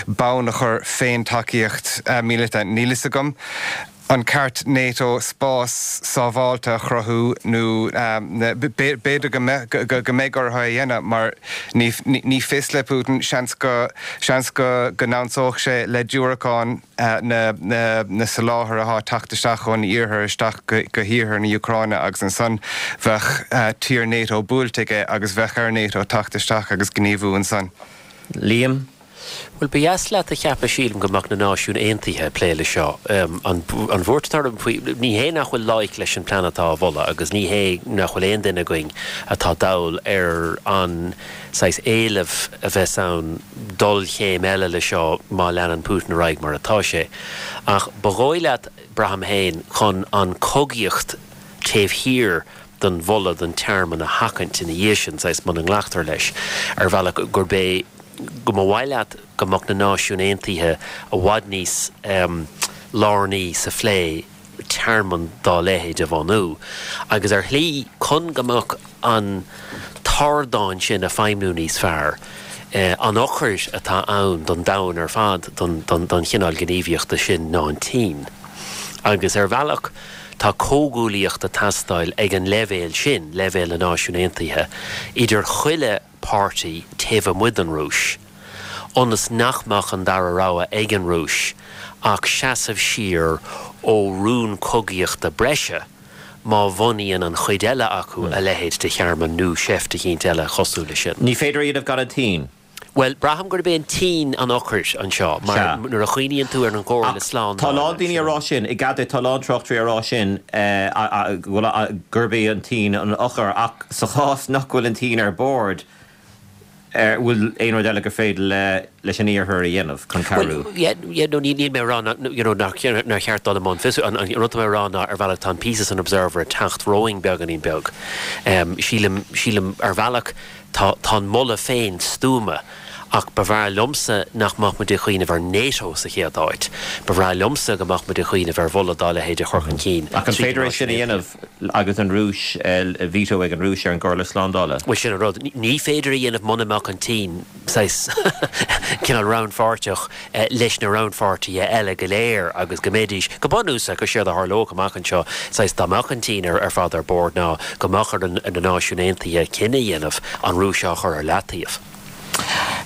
bonn a chur fén tacaíocht míleata. Níl fhios agam an ceart NATO spás sábháilte a chruthú nó b'fhéidir go mbeidh orthu é a dhéanamh mar ní fios le Putin, seans go seans go n-ionsódh sé le diúracáin na soláthair atá ag teacht isteach ón iarthar isteach go hiarthar na hÚcráine agus ansan bheadh tír NATO buailte aige agus bheadh ar NATO teacht isteach agus gníomhú ansan.
Liam.
Bhuel, ba dheas leat a cheapadh, sílim, go mbeadh na Náisiúin Aontaithe ag plé leis seo. An bhuairt atá orm faoi, ní hé nach bhfuil loighic leis an plean atá á mholadh agus ní hé nach bhfuil aon duine againn atá dall ar an saghas éileamh a bheas ann dul chéim eile leis seo má leanann Putin ar aghaidh mar atá sé. Ach ba dhóigh leat, braithim féin, chun an chogaíocht taobh thiar den mholadh don tearmann a sheachaint ina dhiaidh sin, saghas muna nglactar leis, ar bhealach, gurb é go mba mhaith leat go mbeadh na Náisiúin Aontaithe i bhfad níos lárnaí sa phlé tearmann dá leithéid a bhunú. Agus ar shlí, chun go mbeadh an t-ardán sin ag feidhmiú níos fearr, an eochair atá ann don domhan ar fad don chineál gníomhaíochta sin ná an tSín. Agus ar bhealach, tá comhghuaillíocht ag teastáil ag an leibhéal sin, leibhéal na Náisiún Aontaithe, idir chuile páirtí taobh amuigh den Rúis, ionas nach mbeadh an dara rogha ag an Rúis ach seasamh siar ó rún cogaíochta breise má bhunaíonn an chuid eile acu a leithéid de thearmann nó seift eicínt eile cosúil leis sin.
Ní féidir a dhéanamh gan an tSín.
Bhuel, braithim gurb é an tSín an eochair anseo, mar nuair a chuimhníonn tú ar an gComhairle
Slándála. Tá a lán daoine ag rá sin, i gCaidé, tá a lán tráchtairí ag rá sin, gurb é an tSín an eochair, ach sa chás nach bhfuil an tSín ar bord, bhfuil aon rud eile gur féidir leis an Iarthar a dhéanamh chun cabhrú?
Bhuel, yeah, yeah, no, níl mé ag rá you know, nár cheart dul i mbun fiosrú. An rud atá mé ag rá ná ar bhealach tá an píosa san Observer ag teacht romhainn beagáinín beag. Sílim, sílim ar bhealach, Tá an moladh féin stuama, ach ba bhreá liomsa nach mbeadh muid ag cuimhneamh ar NATO sa chéad áit. Ba bhreá liomsa go mbeadh muid ag cuimhneamh ar mholadh dá leithéid a chur chun cinn
Ach an
trí
féidir
na
é sin a
Náisiúin
dhéanamh
Aontaithe.
agus an Rúis, veto ag an Rúis ar an gComhairle Slándála?
Bhuel, sin an rud. Ní féidir a dhéanamh muna mbeadh an tSín saghas cineál rannpháirteach leis na rannpháirtithe eile go léir agus go mbeidís, go bunúsach, is éard a tharlódh amach anseo, saghas dá mbeadh an tSín ar fad ar bord ná go mbeadh ar na Náisiúin Aontaithe cinneadh a dhéanamh an Rúis á chur ar leataobh.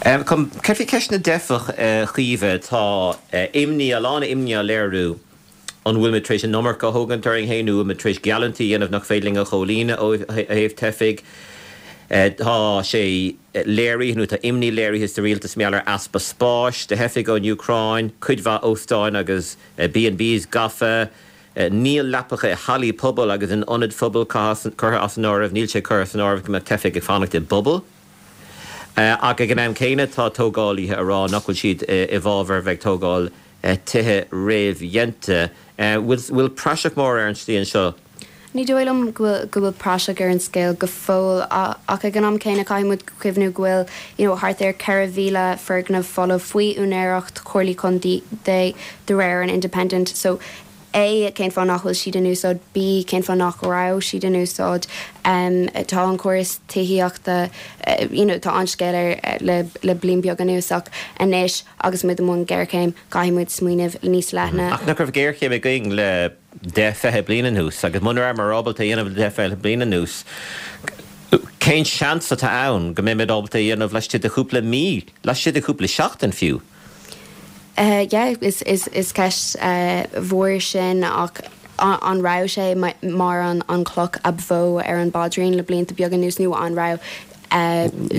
Céard faoi cheist na dteifeach, a Chaoimhe? Tá imní, a lán imní á léiriú an bhfuil muid tar éis an iomarca a thógaint orainn féin nó an bhfuil muid tar éis geallúintí a dhéanamh nach féidir linn a chomhlíonadh ó thaobh teifigh. Tá sé léirithe nó tá imní léirithe sa rialtas mar gheall ar easpa spáis do theifigh ón Úcráin, cuid mhaith óstáin agus B and Bs gafa, níl leapacha i hallaí pobail agus in ionaid phobail curtha as an áireamh, níl sé curtha san áireamh go mbeadh teifigh ag fanacht i bpubaill. Ach ag an am céanna tá tógálaithe ag rá nach bhfuil siad i bhfabhar a bheith ag tógáil tithe réamhdhéanta. Bhfuil praiseach mór ar an tslí anseo?
Ní dóigh liom go bhfuil go bhfuil praiseach ar an scéal go fóill ach ag an am céanna caithfidh muid cuimhniú go bhfuil you know thart ar ceithre mhíle foirgneamh folamh faoi úinéireacht chomhairlí contae de réir an Independent so A, cén fáth nach bhfuil siad in úsáid, B, cén fáth nach raibh siad in úsáid. Tá an córas tithíochta, you know, tá an-scéal air le le bliain beag anuas ach anois agus muid i mbun géarchéim, caithfidh muid smaoineamh níos leithne.
Ach nach raibh géarchéim againn le deich, fiche bliain anuas agus muna rabhamar ábalta é a dhéanamh le deich, fiche bliain anuas, cén seans atá ann go mbeimid ábalta é a dhéanamh laistigh de chúpla mí, laistigh de chúpla seachtain fiú?
Yeah, is is ceist mhór sin ach an raibh sé mar an chloch ab mhó ar an bpaidrín le blianta beaga anuas nó an raibh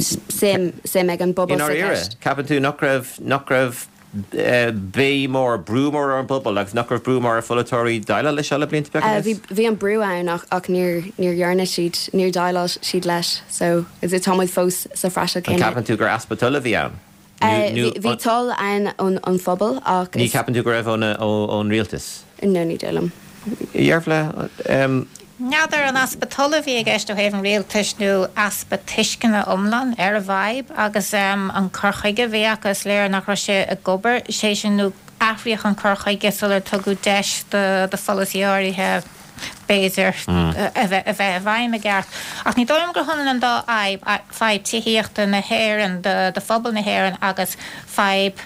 suim suim ag an
I
bpobal sa
ndáiríre,
cheist?
ceapann tú nach raibh nach raibh béim mór, brú mór ar an bpobal agus nach raibh brú mór ar pholaiteoirí déileáil leis seo le blianta beaga
Bhí
anuas?
bhí an brú ann ach ach níor níor dhearna siad, níor dhéileáil siad leis so tá muid fós sa phraiseach
An
céanna.
ceapann tú gur easpa tola a bhí ann?
Bhí toil ann ón phobal ach.
Ní cheapann tú go raibh ón rialtas?
No, ní dóigh liom.
Dhearbhla.
N'fheadar an easpa tola a bhí i gceist ó thaobh an rialtais nó easpa tuisceana iomlán ar an bhfadhb agus an cur chuige a bhí acu, is léir nach raibh sé ag obair, sé sin nó athraíodh an cur chuige sular tugadh deis do pholasaí áirithe b'fhéidir a bheith i bhfeidhm i gceart. Ach ní dóigh liom gur hionann an dá fhadhb, fadhb tithíochta na hÉireann do phobal na hÉireann agus fadhb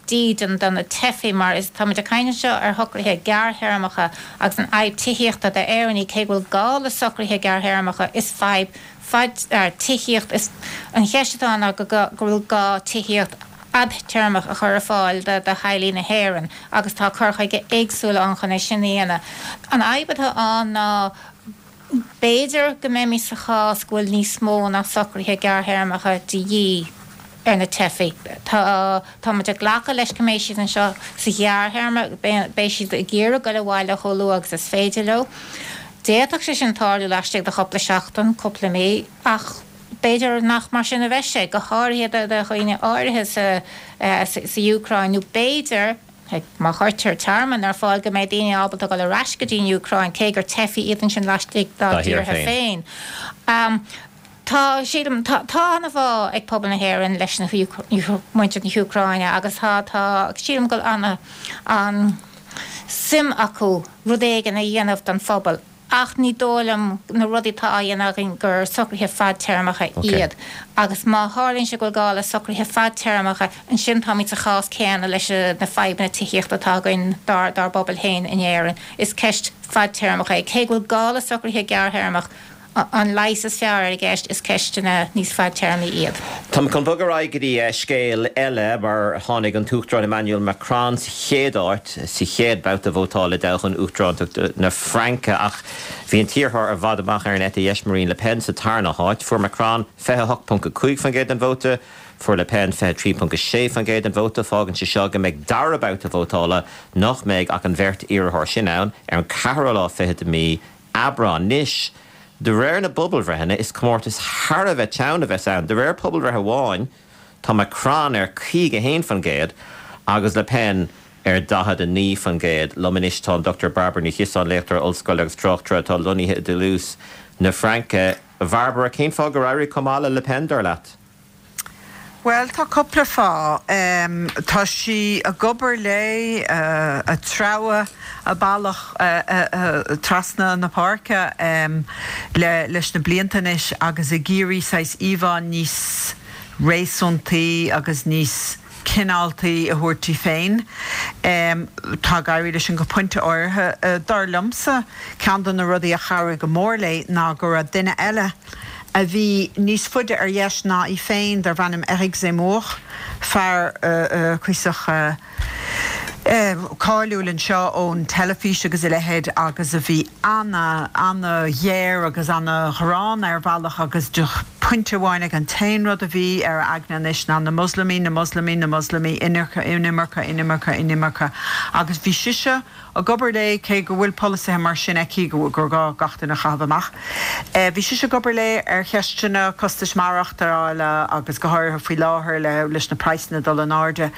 dídean do na teifigh mar is táimid ag caint anseo ar shocruithe gearrthéarmacha agus an fhadhb tithíochta d'Éireannaigh, cé go bhfuil gá le socruithe gearrthéarmacha, is fadhb fad tithíocht is an cheist atá ann ná go bhfuil gá tithíocht fhadtéarmach a chur ar fáil do theaghlaigh na hÉireann agus tá cur chuige éagsúla ann chun é sin a dhéanamh. An fhadhb atá ann ná b'fhéidir go mbeimid sa chás go bhfuil níos mó ná socruithe gearrthéarmacha de dhíth ar na teifigh. Tá tá muid ag glacadh leis go mbeidh siad anseo sa ghearrthéarma, beidh siad ag iarraidh dul abhaile chomh luath agus is féidir leo. D'fhéadfadh sé sin tarlú laistigh de chúpla seachtain, cúpla mí, ach b'fhéidir nach mar sin a bheidh sé, go háirithe do dhaoine áirithe sa sa Úcráin, nó b'fhéidir, má chuirtear tearmann ar fáil, go mbeidh daoine ábalta dul ar ais go dtí an Úcráin, cé gur teifigh iad ansin laistigh dá dtíortha féin. Tá, sílim, tá tá an-bhá ag pobal na hÉireann leis na muintir na hÚcráine agus tá, tá, sílim go bhfuil an-suim acu rud éigin a dhéanamh don phobal. Ach ní dóigh liom na rudaí atá á dhéanamh againn gur socruithe fadtéarmacha iad. Agus má tharlaíonn sé go bhfuil gá le socruithe fadtéarmacha, ansin táimid sa chás céanna leis na fadhbanna tithíochta atá againn dár bpobal féin in Éirinn. Is ceist fadtéarmach é. Cé go bhfuil gá le socruithe gearrthéarmach, an leigheas is fearr ar an gceist, is ceisteanna níos fadtéarmaí iad.
Tá mé chun bogadh ar aghaidh go dtí scéal eile mar tháinig an tUachtarán Emmanuel Macron sa chéad áit sa chéad babhta vótála i dtoghchán uachtaránachta na Fraince ach bhí an t-iarrthóir i bhfad amach ar an eite dheis Marine Le Pen sa tarna háit. Fuair Macron fiche a hocht ponc a cúig faoin gcéad den vóta, fuair Le Pen fiche a trí ponc a sé faoin gcéad den vóta. Fágann sé seo go mbeidh dara babhta vótála nach mbeidh ach an bheirt iarrthóir sin ann ar an ceathrú lá fichead de mhí Aibreán. Anois, de réir na bpobalbhreitheanna, is comórtas thar a bheith teann a bheas ann. De réir pobalbhreith amháin, tá Macron ar caoga a haon faoin gcéad agus Le Pen ar daichead a naoi faoin gcéad. Liom anois tá an Dochtúir Bairbre Ní Chiosáin, léachtóir ollscoile agus tráchtaire atá lonnaithe i dToulouse na Fraince. A Bhairbre, cén fáth gur éirigh chomh maith le Le Pen, dar leat?
Bhuel, tá cúpla fáth. Tá sí ag obair léi, ag treabhadh a bealach trasna na páirce leis na blianta anois agus ag iarraidh saghas íomhá níos réasúntaí agus níos cineáltaí a thabhairt di féin. Tá ag éirí léi sin go pointe áirithe. Dar liomsa, ceann de na rudaí a chabhraigh go mór léi ná go raibh duine eile a bhí níos faide ar dheis ná í féin, darbh ainm Eric Zemmour, fear cuíosach cáiliúil anseo ón teilifís agus a leithéid agus a bhí ana, ana-ghéar agus ana-ghránna ar bhealach agus de phointe amháin ag an t-aon rud a bhí ar a aigne anois ná na Moslamaigh, na Moslamaigh, na Moslamaigh, inimirce, inimirce, inimirce, inimirce agus bhí sise ag obair léi, cé go bhfuil polasaithe mar sin aici gur gá gach duine a chaitheamh amach. Bhí sise ag obair léi ar cheisteanna costais maireachtála agus go háirithe faoi láthair leis na praghsanna ag dul in airde.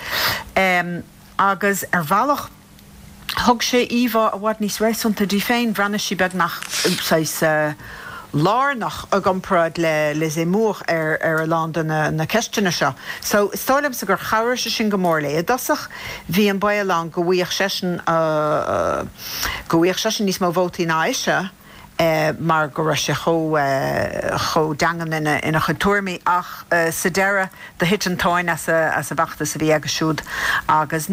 Agus ar bhealach thug sé íomhá i bhfad níos réasúnta di féin, bhreathnaigh sí beagnach saghas lárnach i gcomparáid le le Zemmour ar ar a lán de na na ceisteanna seo. So is dóigh liomsa gur chabhraigh sé sin go mór léi. I dtosach bhí an baol ann go bhfaigheadh seisean go bhfaigheadh seisean níos mó vótaí ná ise mar go raibh sé chomh chomh daingean ina ina chuid tuairimí ach sa deireadh do thit an tóin as a as an bhfeachtas a bhí aige siúd agus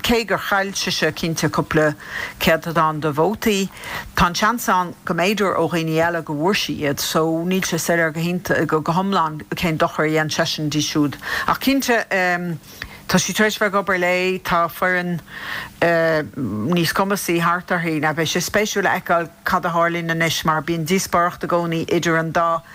cé gur chaill sise cinnte cúpla céatadán de vótaí, tá an seans ann go mb'fhéidir ó dhaoine eile go bhfuair sí iad so níl sé soiléir go hiontach go hiomlán cén dochar a dhein seisean di siúd. Ach cinnte tá sí tar éis bheith ag obair léi, tá foireann níos cumasaí thart uirthi. Now beidh sé spéisiúil a fheiceáil cad a tharlaíonn anois mar bíonn díospóireacht i gcónaí idir an dá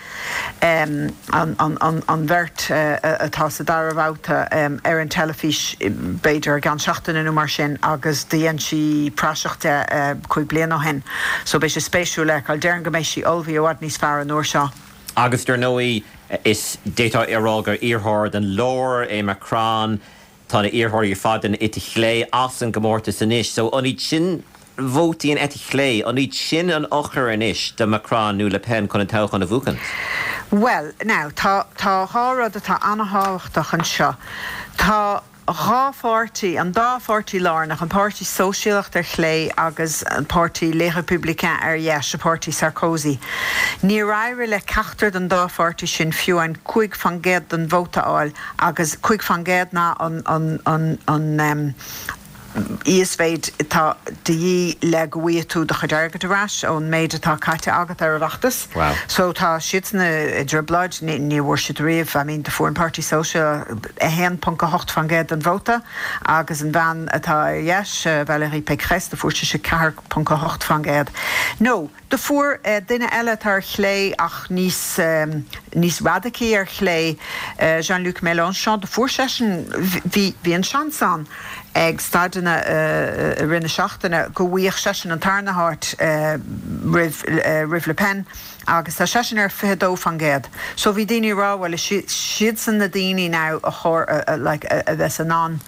an bheirt atá sa dara babhta ar an teilifís b'fhéidir i gceann seachtaine nó mar sin agus do dhein sí praiseach de cúig bliana ó shin so beidh sé spéisiúil a fheiceáil. Déarfainn go mbeidh sí ullmhaithe i bhfad níos fearr an uair seo.
Agus dar ndóigh, is d'fhéadfá a rá gur iarrthóir den lár é Macron, tá na hiarrthóirí ar fad den eite chlé as an gcomórtas anois. So an iad sin vótaí an eite chlé, an iad sin an eochair anois do Macron nó Le Pen chun an toghchán a bhuachan?
Bhuel, now, tá tá dhá rud atá an-thábhachtach anseo. Tá dhá pháirtí, an dá pháirtí lárnach, an Páirtí Sóisialach ar chlé agus an Páirtí Les Républicains ar dheis, an Páirtí Sarkozy. Níor éirigh le ceachtar den dá pháirtí sin fiú an cúig faoin gcéad den vóta a fháil agus cúig faoin gcéad ná an an an an íosmhéid atá de dhíth le go bhfaighidh tú do chuid airgid ar ais ón méid atá caite agat ar an bhfeachtas.
Wow.
So tá siadsan i dtrioblóid, ní ní bhfuair siad riamh, I mean, do fuair an Páirtí Sóisialach a haon ponc a hocht faoin gcéad den vóta agus an bhean atá ar dheis, Valérie Pécresse, do fuair sise ceathair ponc a hocht faoin gcéad. No, do fuair duine eile atá ar chlé ach níos níos radacaí ar chlé, Jean-Luc Mélenchon, do fuair seisean, bhí bhí an seans ann ag staideanna i rith na seachtaine go bhfaigheadh seisean an tarna háit roimh roimh Le Pen agus tá seisean ar fiche dó faoin gcéad. So bhí daoine ag rá bhuel is siadsan na daoine now a chóir like a bheas in ann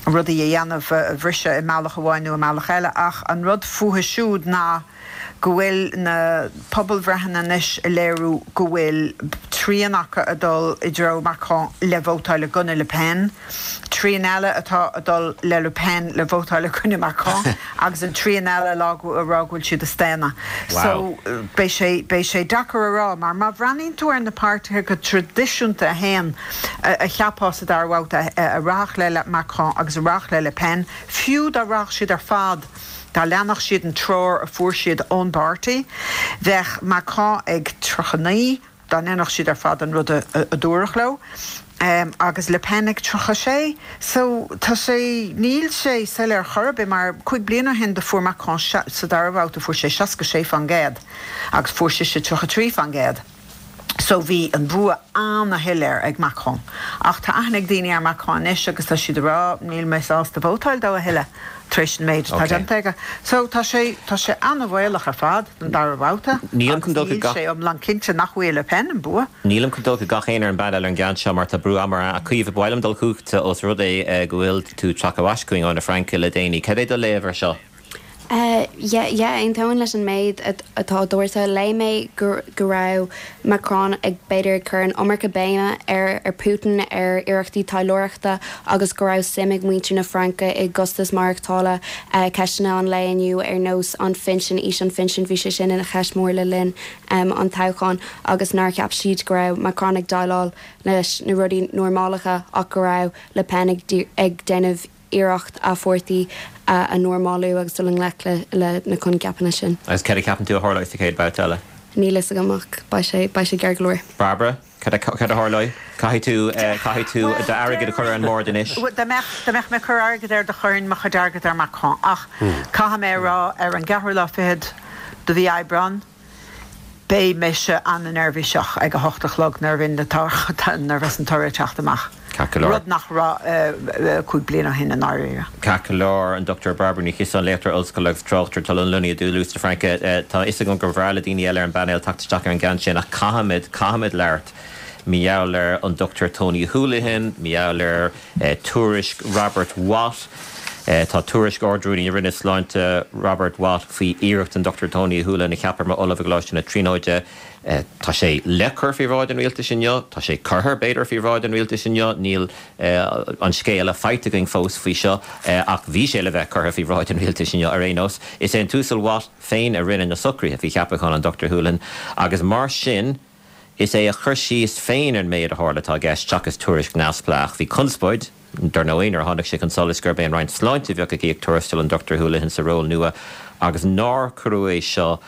rudaí a dhéanamh a bhriseadh i mbealach amháin nó i mbealach eile ach an rud fúthu siúd ná go bhfuil na pobalbhreitheanna anois ag léiriú go bhfuil trian acu ag dul i dtreo Macron le vótáil i gcoinne Le Pen, trian eile atá ag dul le Le Pen le vótáil i gcoinne Macron agus an trian eile ag rá go bhfuil siad ag staonadh. So beidh sé beidh sé deacair a rá mar má bhreathnaíonn tú ar na páirtithe go traidisiúnta a haon a cheapfá sa dara babhta a rachadh le Macron agus a rachadh le Le Pen, fiú dá rachadh siad ar fad, Dá leanfadh siad an treoir a fuair siad ón bpáirtí, bheadh Macron ag tríocha naoi, dá ndéanfadh siad ar fad an rud a dúradh leo, agus Le Pen ag tríocha sé. So, tá sé, níl sé soiléir chor ar bith mar cúig bliana ó shin do fuair Macron sa dara babhta fuair sé seasca sé faoin gcéad agus fuair sise tríocha trí faoin gcéad. So bhí an bua ana-shoiléir ag Macron. Ach tá aithne ag daoine ar Macron anois agus tá siad ag rá níl mé sásta vótáil dó a thuilleadh tar éis an méid atá déanta aige. So tá sé, tá sé ana-bhaolach ar fad don dara babhta
Nílim chun
agus
dul go
níl
gach.
sé iomlán cinnte nach bhfaighidh Le Pen an bua.
Nílim chun dul go gach éinne ar an bpainéal ar an gceann seo mar tá brú ama orainn. A Chaoimhe, ba mhaith liom dul chugatsa os rud é go bhfuil tú tagtha ar ais chugainn ó na Fraince le déanaí. Cad é do léamh air seo?
Yeah, yeah, aontaím leis an méid atá dúirt. Léigh mé go go raibh Macron ag b'fhéidir ag cur an iomarca béime ar ar Putin, ar iarrachtaí taidhleoireachta agus go raibh suim ag muintir na Fraince i gcostas maireachtála, ceisteanna an lae inniu ar nós an phinsin, aois an phinsin, bhí sé sin ina cheist mór le linn an toghcháin agus nár cheap siad go raibh Macron ag déileáil leis na rudaí normalacha ach go raibh Le Pen ag ag déanamh iarracht a pháirtí a normalú agus dul i ngleic le na coincheapanna sin.
Agus cad a cheapann tú a tharlóidh sa chéad bhabhta eile?
Níl fhios agam ach beidh sé beidh sé gearr go leor.
Barbara, cad a cad a tharlóidh? Caithfidh tú caithfidh tú d'airgead a chur ar an mbord anois.
Dá mbeadh dá mbeadh mé ag cur airgead air do chuirfinn mo chuid airgead ar Macron ach caithfidh mé a rá ar an gceathrú lá fichead de mhí Aibreán, Beidh mise an-neirbhíseach ag a hocht a chlog nuair a bhíonn na nuair a bheas an toradh ag teacht amach,
Ceart go leor.
rud nach raibh cúig bliana ó shin i ndáiríre.
Ceart go leor, an Dochtúir Barbara Ní Chiosáin, léachtóir ollscoile agus tráchtaire atá lonnaithe i dToulouse na Fraince. Tá a fhios agam gur bhreá le daoine eile ar an bpainéal teacht isteach ar an gceann sin ach caithfimid, caithfimid labhairt mar gheall ar an Dochtúir Tony Holohan, mar gheall ar tuairisc Robert Watt. Tá tuairisc Ard-Rúnaí na Roinne Sláinte Robert Watt faoi iarracht an Dochtúir Tony Holohan a cheapadh mar Ollamh i gColáiste na Tríonóide. Tá sé le cur faoi bhráid an rialtais inniu. Tá sé curtha, b'fhéidir, faoi bhráid an rialtais inniu. Níl an scéala faighte againn fós faoi seo ach bhí sé le bheith curtha faoi bhráid an rialtais inniu ar aon nós. Is é an tUasal Watt féin a rinne na socruithe faoi cheapachán an Dochtúir Holohan agus mar sin is é a chur síos féin ar an méid a tharla atá i gceist seachas tuairisc neamhspleách. Bhí conspóid, dar ndóigh, nuair a tháinig sé chun solais gurb é an Roinn Sláinte a bheadh ag íoc tuarastal an Dochtúir Holohan sa ról nua agus nár cuireadh é seo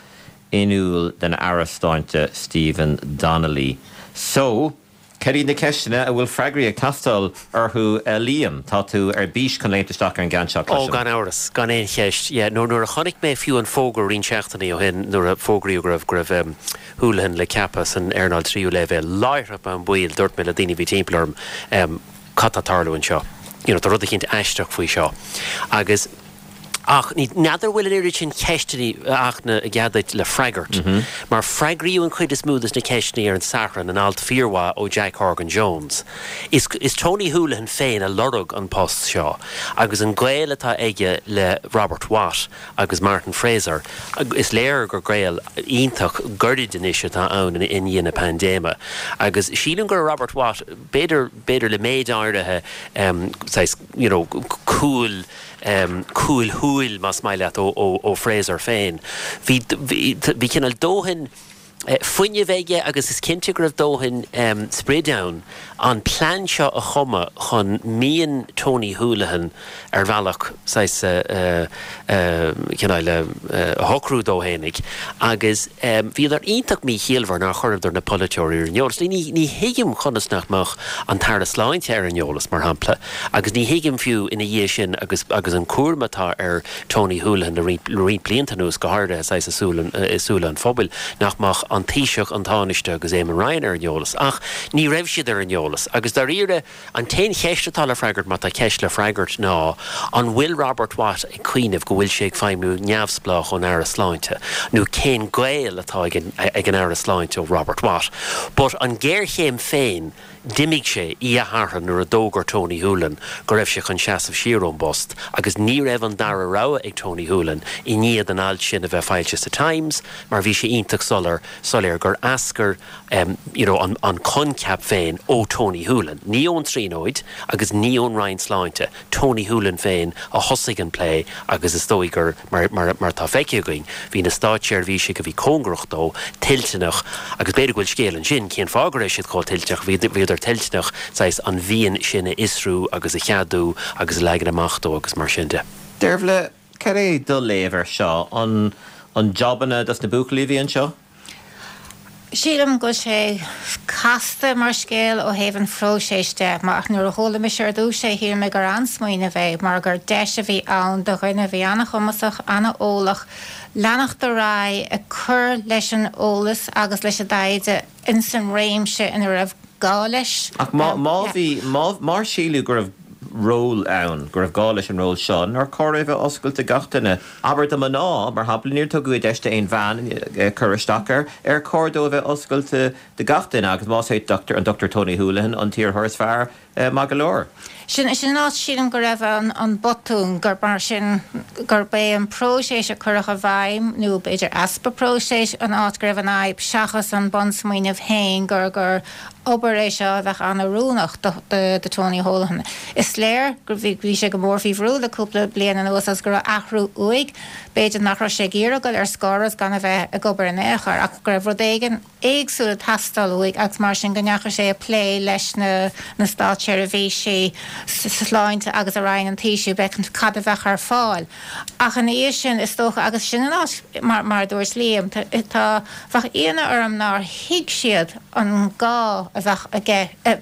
in iúl don Aire Sláinte Stephen Donnelly. So, cad iad na ceisteanna a bhfuil freagraí ag teastáil orthu a Liam? Tá tú ar bís chun léimt isteach ar an gceann seo,
Ó,
cloisim.
gan amhras, gan aon cheist. Yeah, nuair, nuair a chonaic mé fiú an fógra roinnt seachtainí ó shin, nuair a fógraíodh go raibh, go raibh um, Holohan le ceapadh san earnáil tríú leibhéal, láithreach bonn baill, dúirt mé le daoine a bhí timpeall orm, um, cad tá ag tarlú anseo? You know, tá rud eicínt aisteach faoi seo. Agus Ach ní n'fheadar bhfuil an oiread sin ceisteanna ach i gcead le freagairt. Mar freagraíodh an chuid is mó de na ceisteanna ar an Satharn in alt fíormhaith ó Jack Horgan Jones. Is, is Tony Holohan féin a lorg an post seo, agus an gaol atá aige le Robert Watt agus Martin Fraser, is léir gur gaol iontach gairid anois atá ann i ndiaidh na paindéime. Agus sílim gur Robert Watt b'fhéidir b'fhéidir le méid áirithe um, saghas, you know, cúl um, cúlshúil más maith leat ó, ó, ó Fraser féin. Bhí, bhí, bhí cineál dóthain eh, fuinnimh aige agus is cinnte go raibh dóthain um, sprid ann an plean seo a chumadh chun mian Tony Holohan ar bhealach saghas uh, uh, cineál uh, a shocrú dó fhéinig agus um, bhíodar iontach míchiallmhar nár chuireadar na polaiteoirí ar an eolas. Ní, ní thuigim conas nach mbeadh an tAire Sláinte ar an eolas mar shampla, agus ní thuigim fiú ina dhiaidh sin agus, agus an cúram atá ar Tony Holohan le roinnt blianta anuas go háirithe i súile an phobail nach mbeadh an Taoiseach an Tánaiste agus Eamon Ryan ar an eolas. Ach ní raibh siad ar an eolas, agus dáiríre an t-aon cheist atá le freagairt má tá ceist le freagairt ná an bhfuil Robert Watt ag cuimhneamh go bhfuil sé ag feidhmiú neamhspleách ón Aire Sláinte, nó cén gaol atá ag an, ag an Aire Sláinte ó Robert Watt. But an géarchéim féin d'imigh sé oíche Shathairn nuair a d'fhógair Tony Holohan go raibh sé chun seasamh siar ón bpost, agus ní raibh an dara rogha ag Tony Holohan i ndiaidh an alt sin a bheith foilsithe sa Times, mar bhí sé iontach soiléir soiléir gur eascair um, you know, an, an coincheap féin ó Tony Holohan. Ní ón Tríonóid agus ní ón Roinn Sláinte, Tony Holohan féin a thosaigh an plé agus is dóigh gur mar, mar, mar tá feicthe againn, bhí na státseirbhísigh a bhí cóngarach dó toilteanach agus b'fhéidir go bhfuil scéal ansin cén fáth go raibh siad chomh toilteanach bhí bhíodar toilteanach saghas an mhian sin a fhiosrú agus a cheadú agus a leagan amach dó agus mar sin de.
Deirbhle cad é do léamh air seo an an jobanna dos na buachaillí a bhí anseo?
Sílim go sé casta mar scéal ó thaobh an phróisis de, mar ach nuair a chuala mise ar dtús é shíl mé gur an-smaoineamh é mar gur deis a bhí ann do dhuine a bhí an-chumasach an-eolach leanacht ar aghaidh ag cur leis an eolas agus leis an dtaighde in san réimse ina raibh gá leis.
Ach má má bhí mar síleadh go raibh ról ann, go raibh gá leis an ról seo, nár chóir é bheith oscailte gach duine. Abair do mhná, mar shampla níor tugadh deis d'aon bhean cur isteach air, ar chóir dó a bheith oscailte do gach duine agus más é Dr. an Dr. Tony Holohan an t-iarrthóir is fearr maith go leor.
Sin sin áit sílim go raibh an, an botún gur mar sin gurb é an próiseas a cuireadh i bhfeidhm nó b'fhéidir easpa próisis an áit go raibh an fhadhb seachas an bunsmaoineamh féin gur gur obair é seo a bheadh an-oiriúnach do, do, do Tony Holohan. Is léir gur bhí bhí sé go mór faoi bhrú le cúpla bliain anuas agus go raibh athrú uaidh, b'fhéidir nach raibh sé ag iarraidh dul ar scor as gan a bheith ag obair in aon chor ach go raibh rud éigin éagsúil ag teastáil uaidh agus mar sin go ndeachaigh sé ag plé leis na, na státseirbhísí sláinte agus a Roinn an Taoisigh bheith cad a bheadh ar fáil. Ach ina dhiaidh sin is dócha agus sin an áit mar, mar dúirt Liam tá bheadh ionadh orm nár thuig siad an gá a bheadh aige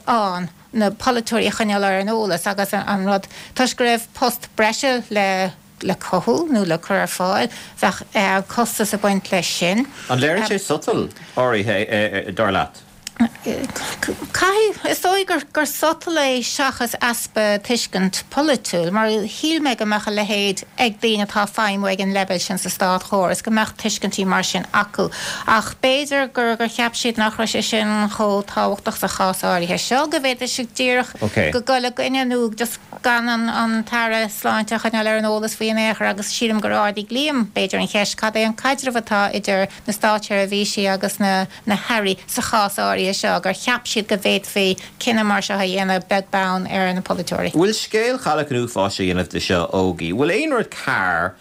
ann na polaiteoirí a choinneáil ar an eolas agus an, an rud toisc go raibh post breise le le cothú nó le cur ar fáil bheadh eh, costas ag baint leis sin.
An léiríonn sé sotal áirithe dar leat?
Caithfidh is dóigh gur gur sotal é seachas easpa tuiscint polaitiúil, mar shíl mé go mbeadh a leithéid ag daoine atá feidhmiú ag an leibhéal sin sa státchóras, go mbeadh tuiscintí mar sin acu. Ach b'fhéidir gur gur cheap siad nach raibh sé sin chomh tábhachtach sa chás áirithe seo, go bhféadfadh siad díreach
Okay.
go dul i gcoinne nó just gan an, an tAire Sláinte a choinneáil ar an eolas faoi in aon chor agus sílim gur ardaigh Liam b'fhéidir an cheist cad é an caidreamh atá idir na státseirbhísí agus na, na hairí sa chás áirithe seo gur cheap siad go bhféadfaí cinneadh mar seo a dhéanamh beag beann ar na polaiteoirí.
Bhfuil scéal chailleach an uafáis a dhéanamh de seo ógaí. Bhfuil aon rud cearr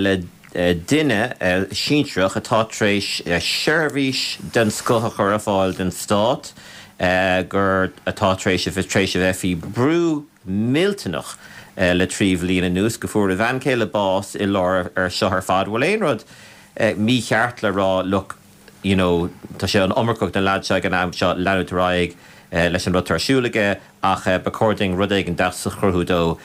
le duine sinsearach atá tar éis seirbhís den scoth a chur ar fáil don stát gur atá tar éis a bheith tar éis a bheith faoi bhrú millteanach le trí bhliain anuas go bhfuair a bhean chéile bás i lár ar seo ar fad. Bhfuil aon rud mícheart le rá look you know, tá sé an iomarcach den lead seo ag an am seo leanúint ar aghaidh leis an rud atá ar siúl aige ach ba chóir dúinn rud éigin deas a chruthú dó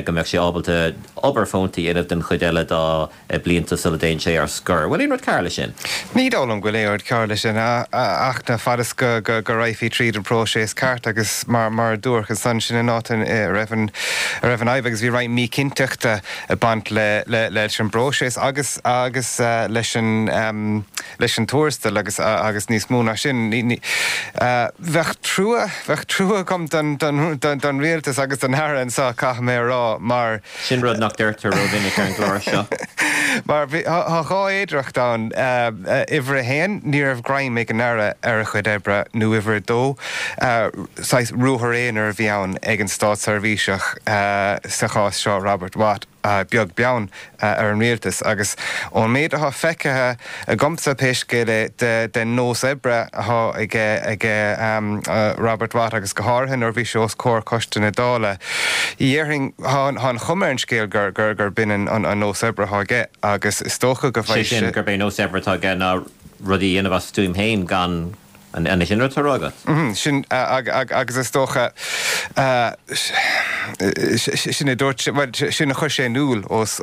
go mbeadh sé ábalta obair fónta a dhéanamh den chuid eile dá blianta sula dtéann sé ar scor. Bhfuil aon rud cearr leis sin?
Ní dóigh liom go bhfuil aon rud cearr leis sin ach na fad is go go raghfaí tríd an bpróiseas ceart agus mar mar a dúradh ansan sin an áit a raibh an a raibh an fhadhb agus bhí roinnt míchinnteachta ag baint le le leis an bpróiseas agus agus leis an leis an tuarastal agus agus níos mó ná sin. Bheadh trua bheadh trua agam don don don don rialtas agus don Aire anseo caithfidh mé a rá mar.
Sin rud nach deirtear rómhinic ar an gclár seo.
Mar bhí tá dhá fhéidearthacht ann. Uimhir a haon, ní raibh greim ag an Aire ar a chuid oibre nó uimhir a dó, saghas ruathar aonair a bhí ann ag an státseirbhíseach, sa chás seo Robert Watt. beag beann ar an rialtas agus ón méid atá feicthe agamsa pé scéal é den nós oibre atá aige Robert Watt agus go háirithe nuair a bhí sé os comhair Choiste na Dála, dhéarfainn, tá an chuma ar an scéal gur b'in an nós oibre atá aige agus is dócha go
mbeidh sé. Sé sin, gurb é nós oibre atá aige ná rudaí a dhéanamh as a stuaim féin gan An é sin rud atá á rá
agat? Sin, agus is dócha, sin a dúirt sé, bhuel, sin a chuir sé in iúl os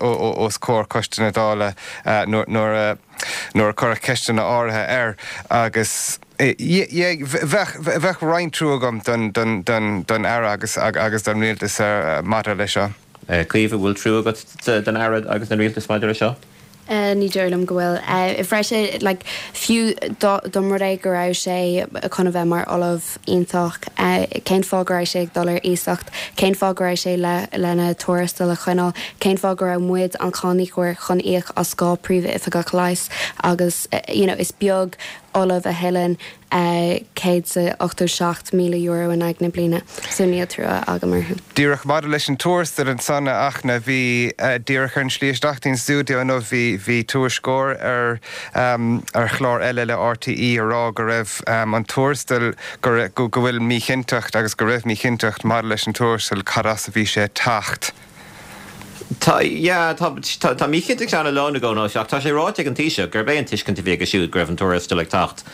comhair Choiste na Dála nuair a nuair a cuireadh ceisteanna áirithe air agus bheadh roinnt trua agam don Aire agus don Rialtas maidir leis seo.
Caoimhe, bhfuil trua agat don Aire agus don Rialtas maidir leis seo?
Ní dóigh liom go bhfuil. Freisin, like, fiú dá mba rud é go raibh sé chun a bheith mar ollamh iontach, cén fáth go raibh sé ag dul ar iasacht? Cén fáth go raibh sé le lena tuarastal a choinneáil? Cén fáth go raibh muid, an cáiníocóir, chun íoc as dhá príomhoifigeach leighis agus, you know, is beag ollamh a thuilleann céad is ochtó seacht míle euro in aghaidh na bliana, so níl trua agam orthu.
Díreach maidir leis an tuarastal ansan, a Fhachtna, bhí, díreach ar an slí isteach dtí'n stiúideo inniu, bhí, bhí tuairisceoir ar, ar chlár eile le RTÉ a rá go raibh an tuarastal, go, go bhfuil míchinnteacht agus go raibh míchinnteacht maidir leis an tuarastal, cad as a bhí sé ag teacht.
Tá, yeah, tá, tá, tá míchinnteacht ann a lán i gcónaí ach tá sé ráite ag an Taoiseach gurb é an tuiscint a bhí aige siúd go raibh an tuarastal ag teacht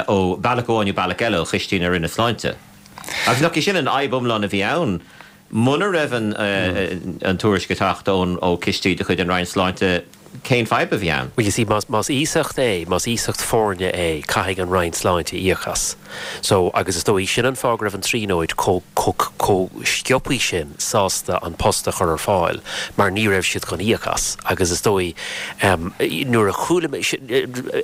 ó bhealach amháin nó bealach eile ó chistí na Roinne Sláinte. Agus nach í sin an fhadhb iomlán a bhí ann? Muna raibh an, an tuairisc ag teacht ón, ó chistí de chuid an Roinn Sláinte, cén fadhb a bhí ann?
Well you see, más, más iasacht é, más iasacht foirne é, caithfidh an Roinn Sláinte íoc as. So, agus is dóigh, sin an fáth go raibh an Tríonóid chomh, chomh, chomh sciobthaí sin sásta an post a chur ar fáil, mar ní raibh siad chun íoc as. Agus is dóigh, em, nuair a chuala mé, sin,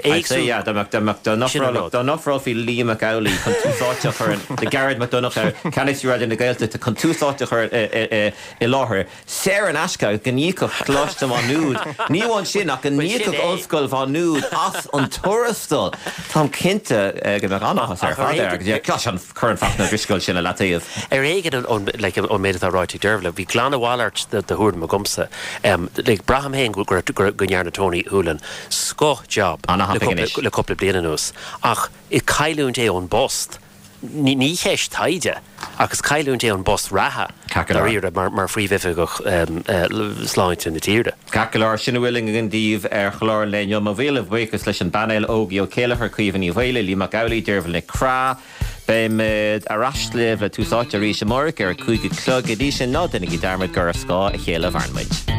I'd say, yeah, dá mbeadh, dá mbeadh, dá
Sin an rud.
dá n-ofrálfaí Liam Mac Amhlaigh chun Tús Áite a chur in, do Gearóid Mac Donncha, Ceannasaí Raidió na Gaeltachta, chun Tús Áite a chur i, i, i, i láthair, saor in aisce agus go n-íocfadh Coláiste Mhá Nuad, ní amháin sin ach go n-íocfadh Ollscoil Mhá Nuad as an tuarastal. Táim cinnte go mbeadh an-áthas air fad air agus gosh an cuireann Fachtna Ó Drisceoil sin i leataobh.
Ar éigean ón méid atá ráite ag Deirbhile, bhí glan a mhalairt de thuairim agamsa. Like braithim féin go go ndearna Tony Holohan scoth job le cúpla bliain anuas ach is cailliúint é ón bpost. Ní cheist taighde ach is cailliúint é an post reatha, dáiríre, mar Phríomhoifigeach Sláinte na tíre.
Ceart go leor, sin a bhfuil againn daoibh ar chlár an lae inniu. Mo mhíle buíochas leis an bpainéal, Ógie Ó Céilleachair, Caoimhe Ní Mhaolaigh, Liam Mac Amhlaigh, Deirbhile Nic Craith. Beimid ar ais libh le Tús Áite arís amárach ar a cúig a chlog. Go dtí sin, ná déanaigí dearmad gur ar scáth a chéile a mhaireann muid.